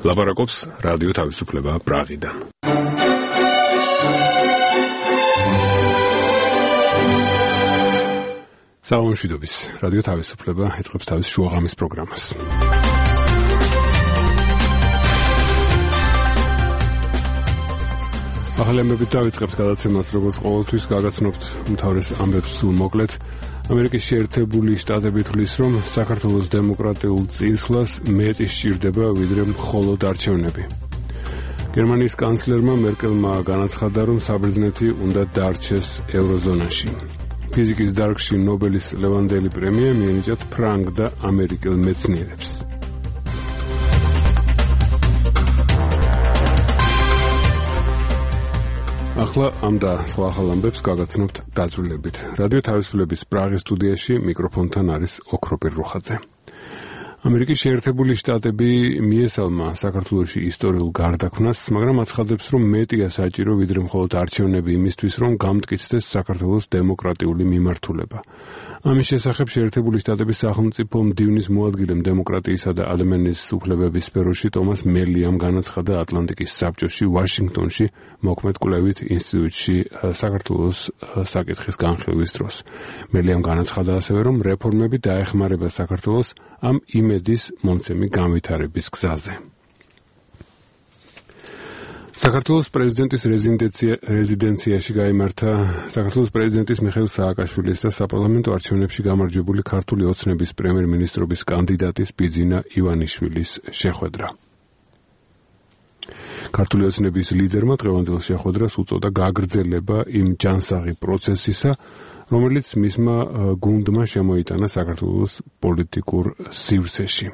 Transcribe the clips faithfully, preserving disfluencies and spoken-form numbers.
ლაპარაკობს რადიო თავისუფლება პრაღიდან. საუბრობს რადიო თავისუფლება ეწყობს თავის შუაღამის პროგრამას. ახალი ამბებით დავიწყებთ გადაცემას, როგორც ყოველთვის გაგაცნობთ უმთავრეს ამბებს სულ მოკლედ. ამერიკის შეერთებული შტატები თვლის, რომ საქართველოს დემოკრატიულ წინსვლას მეტი სჭირდება, ვიდრე მხოლოდ არჩევნები. გერმანიის კანცლერმა მერკელმა განაცხადა, რომ საბერძნეთი უნდა დარჩეს ევროზონაში. ფიზიკის დარგში ნობელის ლევანდელი პრემია მიენიჭათ ფრანგ და ამერიკელ მეცნიერებს. ახლა ამ და სხვა ახალ ამბებს გაგაცნობთ დაძრულებით. რადიო თავისუფლების პრაღის სტუდიაში მიკროფონთან არის ოქროპირ რუხაძე. ამერიკის შეერთებული შტატები მიესალმა საქართველოში ისტორიულ გარდაქმნას, მაგრამ აცხადებს, რომ მეტია საჭირო, ვიდრე მხოლოდ არჩევნები იმისთვის, რომ გამტკიცდეს საქართველოს დემოკრატიული მიმართულება. ამის შესახებ შეერთებული შტატების სახელმწიფო მდივნის მოადგილემ დემოკრატიისა და ადამიანის უფლებების სფეროში ტომას მელიამ განაცხადა ატლანტიკის საბჭოში ვაშინგტონში მოქმედ კვლევით ინსტიტუტში საქართველოს საკითხის განხილვის დროს. მელიამ განაცხადა ასევე, რომ რეფორმები დაეხმარება საქართველოს ამ იმედის მომცემი განვითარების გზაზე. საქართველოს პრეზიდენტის რეზიდენციაში გაიმართა საქართველოს პრეზიდენტის მიხეილ სააკაშვილის და საპარლამენტო არჩევნებში გამარჯვებული ქართული ოცნების პრემიერ-მინისტრობის კანდიდატის ბიძინა ივანიშვილის შეხვედრა. ქართული ოცნების ლიდერმა დღევანდელ შეხვედრას უწოდა გაგრძელება იმ ჯანსაღი პროცესისა, რომელიც მისმა გუნდმა შემოიტანა საქართველოს პოლიტიკურ სივრცეში.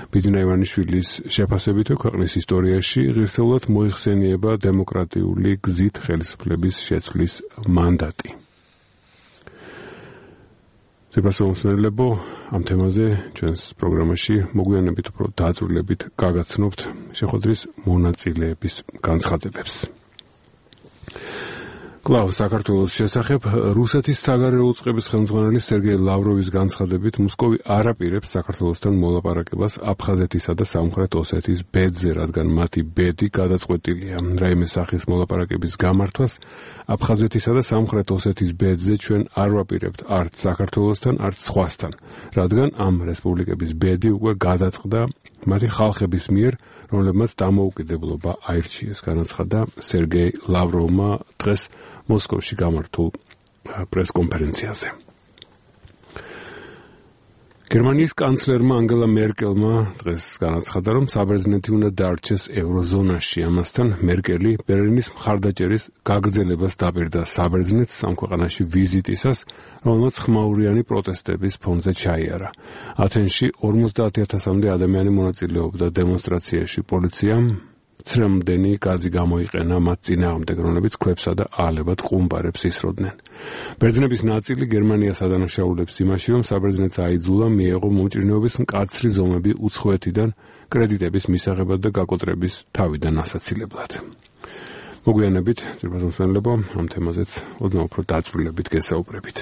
ბიძინა ივანიშვილის შეფასებით, ქვეყნის ისტორიაში ღირსეულად მოიხსენიება დემოკრატიული გზით ხელისუფლების შეცვლის მანდატი. ზეპასაუმსმენელებო, ამ თემაზე ჩვენს პროგრამაში მოგვიანებით უფრო დაძრულებით გაგაცნობთ შეხვედრის მონაწილეების განცხადებებს. კლავ საქართველოს შესახებ რუსეთის საგარეო უწყების ხელმძღვანელი სერგეი ლავროვის განცხადებით, მოსკოვი არ აპირებს საქართველოსთან მოლაპარაკებას აფხაზეთისა და სამხრეთ ოსეთის ბედზე, რადგან მათი ბედი გადაწყვეტილია. რაიმე სახის მოლაპარაკების გამართვას აფხაზეთისა და სამხრეთ ოსეთის ბედზე ჩვენ არ ვაპირებთ არც საქართველოსთან, არც სხვასთან, რადგან ამ რესპუბლიკების ბედი უკვე გადაწყდა მათი ხალხების მიერ, რომლებმაც დამოუკიდებლობა აირჩიეს, განაცხადა სერგეი ლავროვმა დღეს მოსკოვში გამართულ პრესკონფერენციაზე. გერმანიის კანცლერმა ანგელა მერკელმა დღეს განაცხადა, რომ საბერძნეთი უნდა დარჩეს ევროზონაში. ამასთან მერკელი ბერლინის მხარდაჭერის გაგრძელებას დაპირდა საბერძნეთს ამ ქვეყანაში ვიზიტისას, რომელმაც ხმაურიანი პროტესტების ფონზე ჩაიარა. ათენში ორმოცდაათი ათასამდე ადამიანი მონაწილეობდა დემონსტრაციაში. პოლიციამ ცრემლდენი გაზი გამოიყენა მათ წინააღმდეგ, რომლებიც ქვებსა და ალებად ყუმბარებს ისროდნენ. ბერძნების ნაწილი გერმანიას ადანაშაულებს იმაში, რომ საბერძნეთს აიძულა მიეღო მომჭირნეობის მკაცრი ზომები უცხოეთიდან კრედიტების მისაღებად და გაკოტრების თავიდან ასაცილებლად. მოგვიანებით, ძირფასმსმენელებო, ამ თემაზეც ოდნავ უფრო დაძრულებით გესაუბრებით.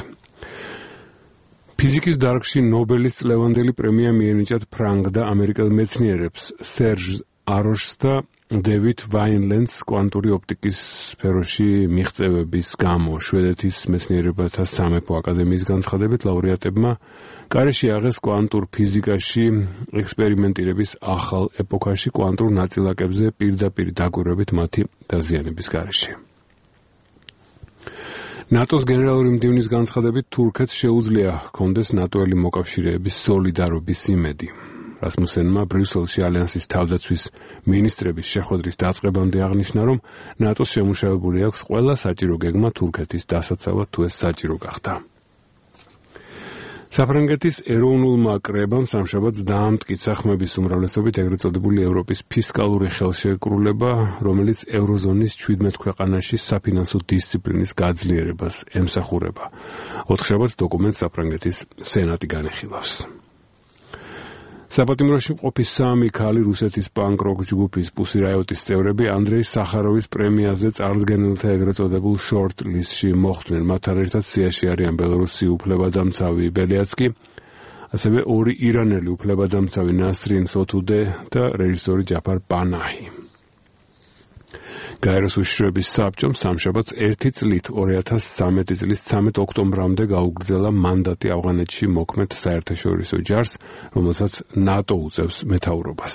ფიზიკის დარგში ნობელის ლევანდელი პრემია მიენიჭათ ფრანგ და ამერიკელ მეცნიერებს სერჟ აროშს და დევიდ ვაინლენდს კვანტური ოპტიკის სფეროში მიღწევების გამო. შვედეთის მეცნიერებათა სამეფო აკადემიის განცხადებით, ლაურეატებმა კარეში აღეს კვანტურ ფიზიკაში ექსპერიმენტირების ახალ ეპოქაში კვანტურ ნაწილაკებზე პირდაპირ დაკვირვებით მათი დაზიანების გარეშე. ნატოს გენერალური მდივნის განცხადებით, თურქეთს შეუძლია ჰქონდეს ნატოელი მოკავშირეების სოლიდარობის იმედი. რასმუსენმა ბრიუსელში ალიანსის თავდაცვის მინისტრების შეხვედრის დაწყებამდე აღნიშნა, რომ ნატოს შემუშავებული აქვს ყველა საჭირო გეგმა თურქეთის დასაცავად, თუ ეს საჭირო გახდა. საფრანგეთის ეროვნულმა კრებამ სამშაბათს დაამტკიცა ხმების უმრავლესობით ეგრეთ წოდებული ევროპის ფისკალური ხელშეკრულება, რომელიც ევროზონის ჩვიდმეტ ქვეყანაში საფინანსო დისციპლინის გაძლიერებას ემსახურება. ოთხშაბათს დოკუმენტს საფრანგეთის სენატი განეხილავს. საპატიმროში მყოფი სამი ქალი რუსეთის პანკ-როკ ჯგუფის პუსი რაიოტის წევრები ანდრეი სახაროვის პრემიაზე წარდგენილთა ეგრეთ წოდებულ შორტ-ლისტში მოხვდნენ. მათთან ერთად სიაში არიან ბელორუსი უფლებადამცავი ბელიაცკი, ასევე ორი ირანელი უფლებადამცავი ნასრინ სოთუდე და რეჟისორი ჯაფარ პანაჰი. გაეროს უშიშროების საბჭომ სამშაბათს ერთი წლით ორი ათას ცხრამეტი წლის ცამეტ ოქტომბრამდე გაუგრძელა მანდატი ავღანეთში მოქმედ საერთაშორისო ჯარს, რომელსაც ნატო უწევს მეთაურობას.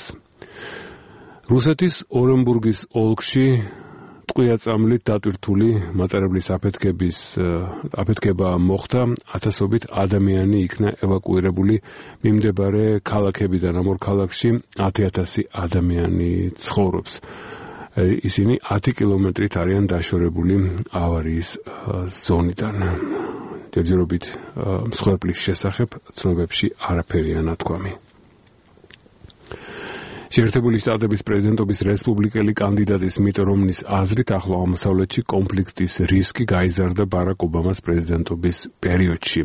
რუსეთის ორენბურგის ოლქში ტყვია-წამლით დატვირთული მატარებლის აფეთქების აფეთქება მოხდა, ათასობით ადამიანი იქნა ევაკუირებული მიმდებარე ქალაქებიდან. ამ ორ ქალაქში ათი ათასი ადამიანი ცხოვრობს. ისინი ათი კილომეტრით არიან დაშორებული ავარიის ზონიდან. ჯერჯერობით მსხვერპლის შესახებ ცნობებში არაფერია ნათქვამი. შეერთებული შტატების პრეზიდენტობის რესპუბლიკელი კანდიდატის მიტ რომნის აზრით ახლო აღმოსავლეთში კონფლიქტის რისკი გაიზარდა ბარაკ ობამას პრეზიდენტობის პერიოდში.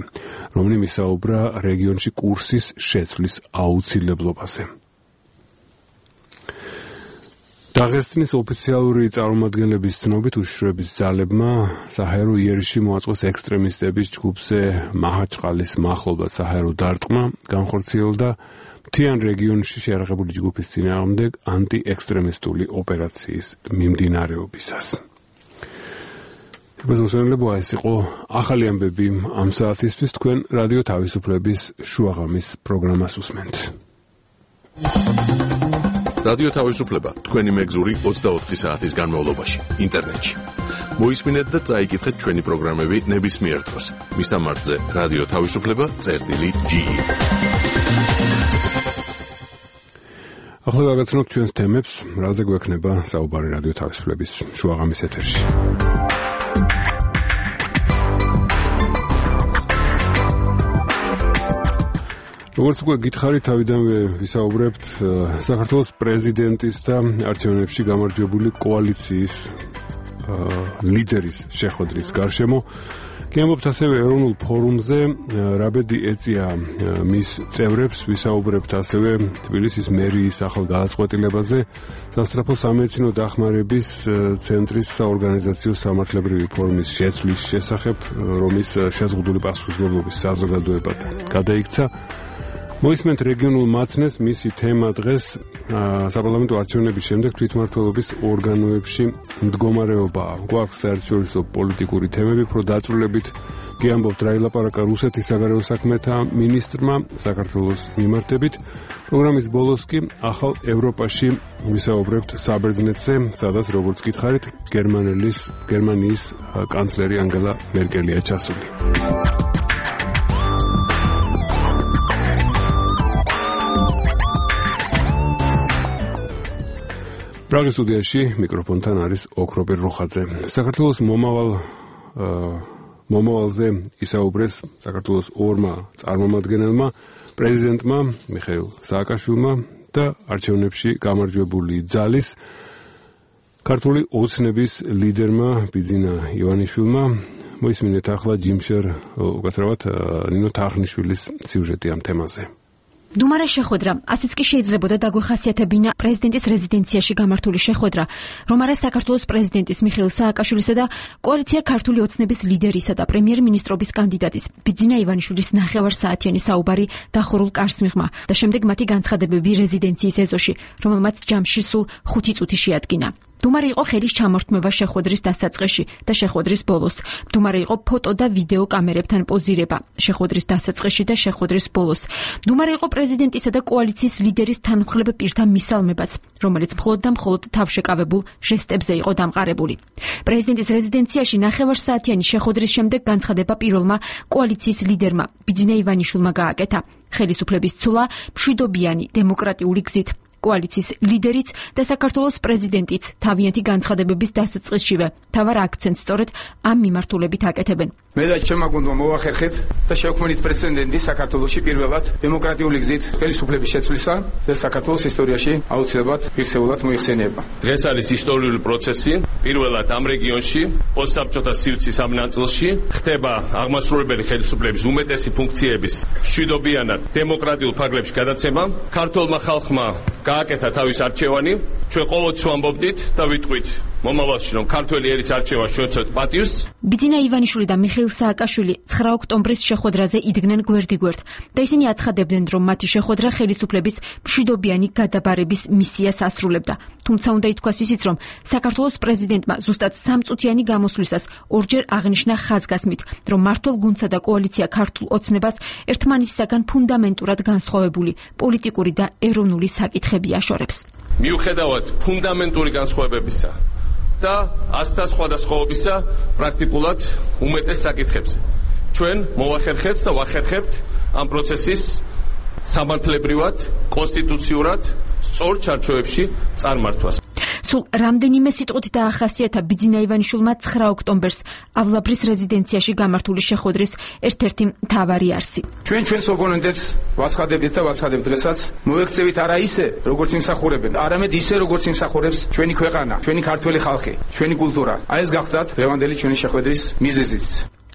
რომნი მისაუბრა რეგიონში კურსის შეცვლის აუცილებლობაზე. დაღესტნის ოფიციალური წარმომადგენლების ცნობით უშიშროების ძალებმა საჰაერო იერიში მოაწყვეს ექსტრემისტების ჯგუფზე მაჰაჩყალის მახლობლად საჰაერო დარტყმა განხორციელდა მთიან რეგიონში შეიარაღებული ჯგუფის წინააღმდეგ ანტიექსტრემისტული ოპერაციის მიმდინარეობისას. მეგობრებო, ეს იყო ახალი ამბები ამ საათისთვის. თქვენ რადიო თავისუფლების შუაღამის პროგრამას უსმენთ. რადიო თავისუფლება თქვენი მეგზური ოცდაოთხი საათის განმავლობაში ინტერნეტში. მოისმინეთ და წაიკითხეთ ჩვენი პროგრამები ნებისმიერ დროს. მისამართზე რადიო თავისუფლება წერტილი ჯი. ახლა გაგაცნობთ ჩვენს თემებს, რაზე გვექნება საუბარი რადიო თავისუფლების შუაღამის ეთერში. როგორც უკვე გითხარით, თავიდანვე ვისაუბრებთ საქართველოს პრეზიდენტის და არჩევნებში გამარჯვებული კოალიციის ლიდერის შეხვედრის გარშემო. კი ამბობთ ასევე ეროვნულ ფორუმზე, რა ბედი ეწია მის წევრებს, ვისაუბრებთ ასევე თბილისის მერიის ახალ გადაწყვეტილებაზე, სასწრაფო სამედიცინო დახმარების ცენტრის საორგანიზაციო სამართლებრივი ფორმის შეცვლის შესახებ, რომლის შეზღუდული პასუხისმგებლობის საზოგადოებად გადაიქცა. მოისმენთ რეგიონულ მაცნეს, მისი თემა დღეს საპარლამენტო არჩევნების შემდეგ თვითმმართველობის ორგანოებში მდგომარეობაა. გვაქვს საერთაშორისო პოლიტიკური თემები, უფრო დაწვრილებით კი ამბობთ რა ილაპარაკა რუსეთის საგარეო საქმეთა მინისტრმა საქართველოს მიმართებით. პროგრამის ბოლოს კი ახალ ევროპაში ვისაუბრებთ საბერძნეთზე, სადაც როგორც გითხარით, გერმანელის გერმანიის კანცლერი ანგელა მერკელია ჩასული. პრაღის სტუდიაში მიკროფონთან არის ოქროპირ როხაძე. საქართველოს მომავალ მომავალზე ისაუბრეს საქართველოს ორმა წარმომადგენელმა, პრეზიდენტმა მიხეილ სააკაშვილმა და არჩევნებში გამარჯვებული ძალის ქართული ოცნების ლიდერმა ბიძინა ივანიშვილმა. მოისმინეთ ახლა ჯიმშერ უკაცრავად ნინო თარხნიშვილის სიუჟეტი ამ თემაზე. დუმარის შეხვედრა, ასეც კი შეიძლებოდა დაგვეხასიათებინა პრეზიდენტის რეზიდენციაში გამართული შეხვედრა, რომ არა საქართველოს პრეზიდენტის მიხეილ სააკაშვილისა და კოალიცია ქართული ოცნების ლიდერისა და პრემიერ-მინისტრობის კანდიდატის ბიძინა ივანიშვილის ნახევარსაათიანი საუბარი დახურულ კარს მიღმა და შემდეგ მათი განცხადებები რეზიდენციის ეზოში, რომელმაც ჯამში სულ ხუთი წუთი შეადგინა. დუმარი იყო ხელის ჩამორთმევა შეხვედრის დასაწყისში და შეხვედრის ბოლოს. დუმარი იყო ფოტო და ვიდეო კამერებთან პოზირება შეხვედრის დასაწყისში და შეხვედრის ბოლოს. დუმარი იყო პრეზიდენტისა და კოალიციის ლიდერის თანმხლებ პირთა მისალმებაც, რომელიც მხოლოდ და მხოლოდ თავშეკავებულ ჟესტებზე იყო დამყარებული. პრეზიდენტის რეზიდენციაში ნახევარსაათიანი შეხვედრის შემდეგ განცხადება პირველმა კოალიციის ლიდერმა ბიძინა ივანიშვილმა გააკეთა. ხელისუფლების ცვლა მშვიდობიანი დემოკრატიული გზით. კოალიციის ლიდერიც და საქართველოს პრეზიდენტიც თავიანთი განცხადებების დასაწყისშივე თავარ აქცენტს სწორედ ამ მიმართულებით აკეთებენ. მე და ჩემმა გუნდმა მოვახერხეთ და შევქმნით პრეცედენტი საქართველოში პირველად დემოკრატიული გზით ხელისუფლების შეცვლისა და საქართველოს ისტორიაში აუცილებლად ფიქსებულად მოიხსენიება. დღეს არის ისტორიული პროცესი. პირველად ამ რეგიონში პოსტსაბჭოთა სივრცის ამ ნაწილში ხდება აღმასრულებელი ხელისუფლების უმეტესი ფუნქციების მშვიდობიანად დემოკრატიულ ფარგლებში გადაცემა. ქართულმა ხალხმა გააკეთა თავის არჩევანი. ჩვენ ყოველთვის ვამბობდით და ვიტყვით მომავალში რომ ქართველი ერის არჩევა შევეცოთ პატივს. ბიძინა ივანიშვილი და მიხეილ სააკაშვილი ცხრა ოქტომბრის შეხვედრაზე იდგნენ გვერდიგვერდ და ისინი აცხადებდნენ, რომ მათი შეხვედრა ხელისუფლების მშვიდობიანი გადაბარების მისიას ასრულებდა. თუმცა უნდა ითქვას ისიც, რომ საქართველოს პრეზიდენტმა ზუსტად სამწუთიანი გამოსვლისას ორჯერ აღნიშნა ხაზგასმით, რომ მართლ გუნდსა და კოალიცია ქართულ ოცნებას ერთმანეთისაგან ფუნდამენტურად განსხვავებული პოლიტიკური და ეროვნული საკითხები აშორებს. მიუხედავად ფუნდამენტური განსხვავებებისა და ასთა სხვადასხვაობისა პრაქტიკულად უმეტეს საკითხებზე ჩვენ მოვახერხებთ და ვახერხებთ ამ პროცესის სამართლებრივად, კონსტიტუციურად სწორ ჩარჩოებში წარმართვას. სულ რამდენიმე სიტყვით დაახასიათა ბიძინა ივანიშვილმა ცხრა ოქტომბერს ავლაბრის რეზიდენციაში გამართული შეხვედრის ერთ-ერთი მთავარი არსი. ჩვენ ჩვენს ოპონენტებს ვაცხადებთ და ვაცხადებთ დღესაც მოექცევით არა ისე, როგორც იმსახურებენ, არამედ ისე, როგორც იმსახურებს ჩვენი ქვეყანა, ჩვენი ქართველი ხალხი, ჩვენი კულტურა. აი ეს გახდათ დღევანდელი ჩვენი შეხვედრის მიზეზიც.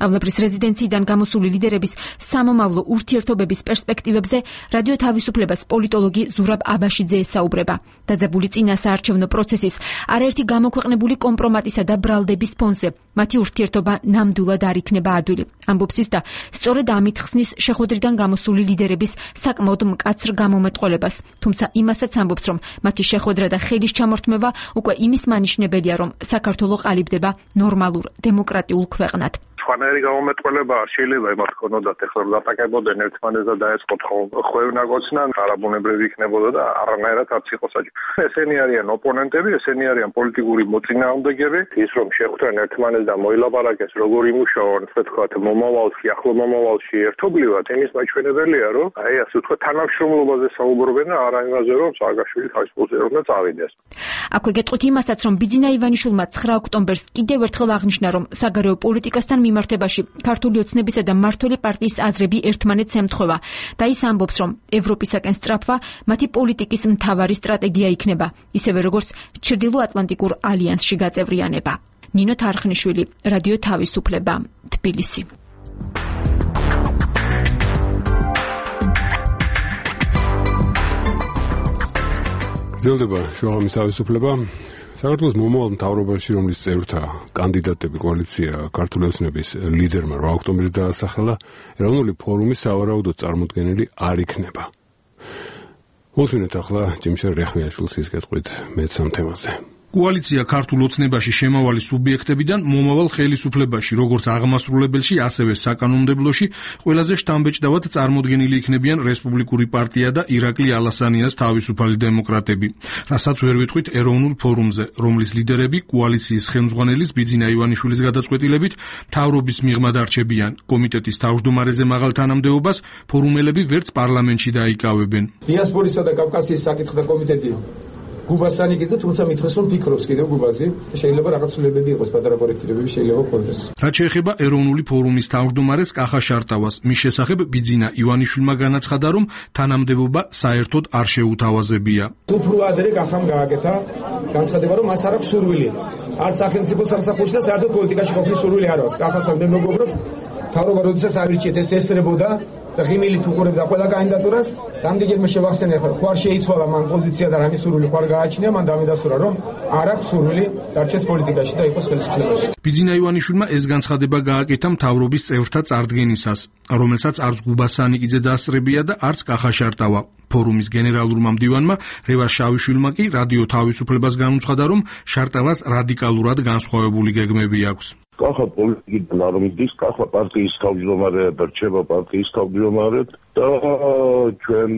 ავლაბრის რეზიდენციიდან გამოსული ლიდერების სამომავლო ურთიერთობების პერსპექტივებზე რადიო თავისუფლებას პოლიტოლოგი ზურაბ აბაშიძე ესაუბრება. დაძაბული წინა საარჩევნო პროცესის არაერთი გამოქვეყნებული კომპრომატისა და ბრალდების ფონზე მათი ურთიერთობა ნამდვილად არ იქნება ადვილი. ამბობს ის და სწორედ ამით ხსნის შეხვედრიდან გამოსული ლიდერების საკმაოდ მკაცრ გამომეტყველებას. თუმცა იმასაც ამბობს, რომ მათი შეხვედრა და ხელის ჩამორთმევა უკვე იმის მანიშნებელია, რომ საქართველო ყალიბდება ნორმალურ დემოკრატიულ ქვეყნად. სხვანაირი გამომეტყველება არ შეიძლება იმათ ქონოდათ, ეხლა რომ დატაკებოდნენ ერთმანეთს და დაეწყოთ ხვევნაგოცნა, არაბუნებრივი იქნებოდა და არანაირად არც იყო საჭირო. ესენი არიან ოპონენტები, ესენი არიან პოლიტიკური მოწინააღმდეგეები, ის რომ შეხვდნენ ერთმანეთს და მოილაპარაკეს როგორ იმუშაონ, ასე ვთქვათ, მომავალში, ახლო მომავალში ერთობლივად, იმის მაჩვენებელია, რომ აი ასე ვთქვათ, თანამშრომლობაზე საუბრობენ და არა იმაზე, რომ სააკაშვილი თავის პოზიციაზე უნდა წავიდეს. აქვე გეტყვით იმასაც, რომ ბიძინა ივანიშვილმა ცხრა ოქტომბერს კიდევ ერთხელ აღნიშნა, რომ საგარეო პოლიტიკასთან მიმართებაში ქართული ოცნებისა და მმართველი პარტიის აზრები ერთმანეთს ემთხვევა და ის ამბობს, რომ ევროპისაკენ სწრაფვა მათი პოლიტიკის მთავარი სტრატეგია იქნება, ისევე როგორც ჩრდილოატლანტიკურ ალიანსში გაწევრიანება. ნინო თარხნიშვილი, რადიო თავისუფლება, თბილისი. ზელდება შუაღამის თავისუფლება. საქართველოს მომავალ მთავრობაში, რომლის წევრთა კანდიდატები კოალიცია ქართული ოცნების ლიდერმა რვა ოქტომბერს დაასახელა, ეროვნული ფორუმის სავარაუდოდ წარმოდგენილი არ იქნება. მოსვინეთ ახლა ჯიმშერ რეხმიაშვილის ის კითხვით მეც ამ თემაზე. კოალიცია ქართულ ოცნებაში შემავალი სუბიექტებიდან მომავალ ხელისუფლებაში, როგორც აღმასრულებელში, ასევე საკანონმდებლოში, ყველაზე შთამბეჭდავად წარმოდგენილი იქნებიან რესპუბლიკური პარტია და ირაკლი ალასანიას თავისუფალი დემოკრატები, რასაც ვერ ვიტყვით ეროვნულ ფორუმზე, რომლის ლიდერები კოალიციის ხელმძღვანელის ბიძინა ივანიშვილის გადაწყვეტილებით მთავრობის მიღმად არჩებიან. კომიტეტის თავმჯდომარეზე მაღალ თანამდებობას ფორუმელები ვერც პარლამენტში დაიკავებენ. დიასპორისა და კავკასიის საკითხთა კომიტეტი გუბასანი კიდე, თუმცა მithres რომ ფიქრობს კიდევ გუბაზე, შეიძლება რაღაც ცვლილებები იყოს, პატარა კორექტირებები შეიძლება ქონდეს. რაც შეეხება ეროვნული ფორუმის თავმჯდომარეს კახა შარტავას, მის შესახებ ბიძინა ივანიშვილმა განაცხადა, რომ თანამდებობა საერთოდ არ შეუთავაზებია. უფრო ადრე კახამ გააკეთა განცხადება, რომ მას არ აქვს სურვილი. არც სახელმწიფო სამსახურში და საერთოდ პოლიტიკაში ყოფნის სურვილი არ აქვს. კახასთან მე მეგობრობ, თავრობა როდესაც ავირჩიეთ, ეს ესწრებოდა და ღიმილით უყურებდა ყველა კანდიდატურას. რამდენჯერმე შევახსენე, ხო არ შეიცვალა მან პოზიცია და რამის სურვილი ხო არ გააჩნია, მან დამედასურა, რომ არ აქვს სურვილი დარჩეს პოლიტიკაში და იყოს ხელისუფლებაში. ბიძინა ივანიშვილმა ეს განცხადება გააკეთა მთავრობის წევრთა წარდგენისას, რომელსაც არც გუბასანიკიძე დაასწრებია და არც კახა შარტავა. ფორუმის გენერალურმა მდივანმა რევას შავიშვილმა კი რადიო თავისუფლებას განუცხადა, რომ შარტავას რადიკალურად განსხვავებული გეგმები აქვს. კახა პოლიტიკიდან არ მიდის, კახა პარტიის თავმჯდომარეა და რჩება პარტიის თავმჯდომარედ და ჩვენ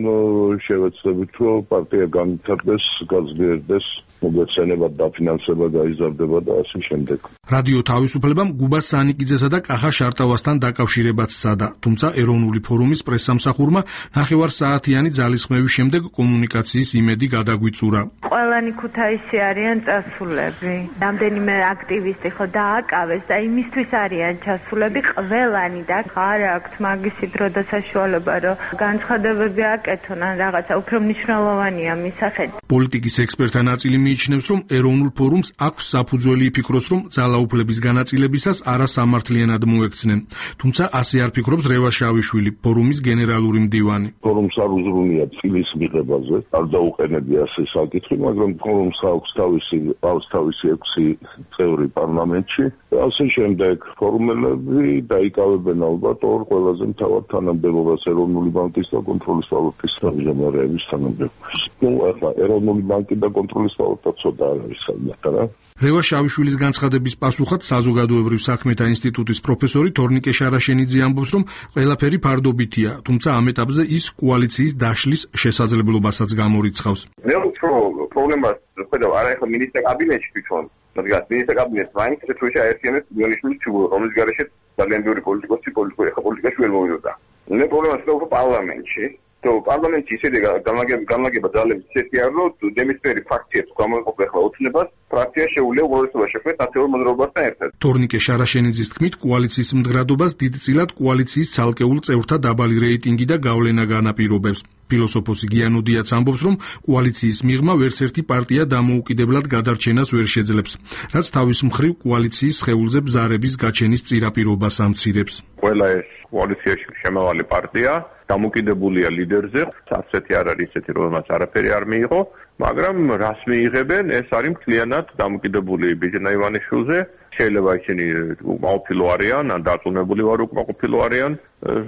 შევეცდებით, რომ პარტია განვითარდეს, გაძლიერდეს, მოგეცენება დაფინანსება გაიზარდება და ასე შემდეგ. რადიო თავისუფლებამ გუბას სანიკიძესა და კახა შარტავასთან დაკავშირებაც სცადა, თუმცა ეროვნული ფორუმის პრესსამსახურმა ნახევარსაათიანი ძალისხმევის შემდეგ კომუნიკაციის იმედი გადაგვიწურა. ყველანი ქუთაისში არიან წასულები. რამდენიმე აქტივისტი ხო დააკავეს და იმისთვის არიან ჩასულები ყველანი და არ აქვთ მაგისი დრო და საშუალება რომ განცხადებები აკეთონ ან რაღაცა უფრო მნიშვნელოვანია მისახედ. პოლიტიკის ექსპერტთა ნაწილი მიიჩნევს, რომ ეროვნულ ფორუმს აქვს საფუძველი იფიქროს, რომ ძალაუფლების განაწილებისას არასამართლიანად მოექცნენ. თუმცა ასე არ ფიქრობს რევას შავიშვილი, ფორუმის გენერალური მდივანი. ფორუმს არ უზრუნია წილის მიღებაზე, არ დაუყენებია ასე საკითხი, მაგრამ ფორუმს აქვს თავისი აქვს თავისი ექვსი წევრი პარლამენტში. ასე შემდეგ ფორუმელები დაიკავებენ ალბათ ორ ყველაზე მთავარ თანამდებობას ეროვნული ბანკის და კონტროლის ვალუტის თავმჯდომარეების თანამდებობას. ნუ ახლა ეროვნული ბანკი და კონტროლის ვალუტა ცოტა არ არის საერთოდ რა. რევას შავიშვილის განცხადების პასუხად საზოგადოებრივ საქმეთა ინსტიტუტის პროფესორი თორნიკე შარაშენიძე ამბობს, რომ ყველაფერი ფარდობითია, თუმცა ამ ეტაპზე ის კოალიციის დაშლის შესაძლებლობასაც გამორიცხავს. მე უფრო პრობლემას ხედავ არა ახლა მინისტრთა კაბინეტში თვითონ, მაგრამ მინისტრთა კაბინეტს მაინც შეგვეშა აერთიანებს მილიონიშვილის ჩუბურო, რომლის გარეშე ძალიან ბევრი პოლიტიკოსი პოლიტიკოსი ახლა პოლიტიკაში ვერ მოვიდოდა. მე პრობლემას ხედავ უფრო პარლამენტში. то პარლამენტში ისეთი განლაგება ძალების ისეთი არ რომ დემისფერი ფაქციებს გამოიყოფა ახლა ოცნებას ფრაქცია შეუძლია უღურესობა შექმნას ნაციონალურ მოძრაობასთან ერთად. თორნიკე შარაშენიძის თქმით, კოალიციის მდგრადობას დიდწილად კოალიციის ცალკეულ წევრთა დაბალი რეიტინგი და გავლენა განაპირობებს. ფილოსოფოსი გიანუდიაც ამბობს, რომ კოალიციის მიღმა ვერც ერთი პარტია დამოუკიდებლად გადარჩენას ვერ შეძლებს, რაც თავის მხრივ კოალიციის სხეულზე ბზარების გაჩენის წირაპირობას ამცირებს. ყველა ეს კოალიციაში შემავალი პარტია დამოკიდებულია ლიდერზე, ასეთი არ არის ისეთი, რომელმაც არაფერი არ მიიღო, მაგრამ რას მიიღებენ, ეს არის მთლიანად დამოკიდებული ბიჯანა ივანიშვილზე. შეიძლება ისინი უკმაყოფილო არიან, ან დარწმუნებული ვარ უკმაყოფილო არიან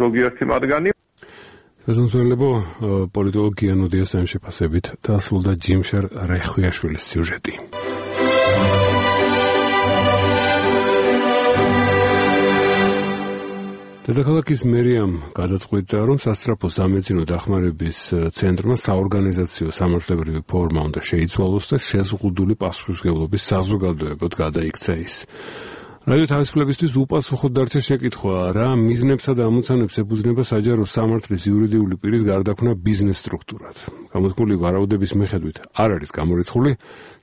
ზოგიერთი მათგანი. საზოგადოებრივ პოლიტოლოგი გიანუდიას ამ შეფასებით დასრულდა ჯიმშარ რეხვიაშვილის სიუჟეტი. დედაქალაქის მერიამ გადაწყვიტა, რომ სასწრაფო სამედიცინო დახმარების ცენტრმა საორგანიზაციო სამართლებრივი ფორმა უნდა შეიცვალოს და შეზღუდული პასუხისმგებლობის საზოგადოებად გადაიქცა ის. რადიო თავისუფლებისთვის უპასუხოდ დარჩა შეკითხვა, რა მიზნებსა და ამოცანებს ეფუძნება საჯარო სამართლის იურიდიული პირის გარდაქმნა ბიზნეს სტრუქტურად. გამოთქმული ვარაუდების მიხედვით არ არის გამორიცხული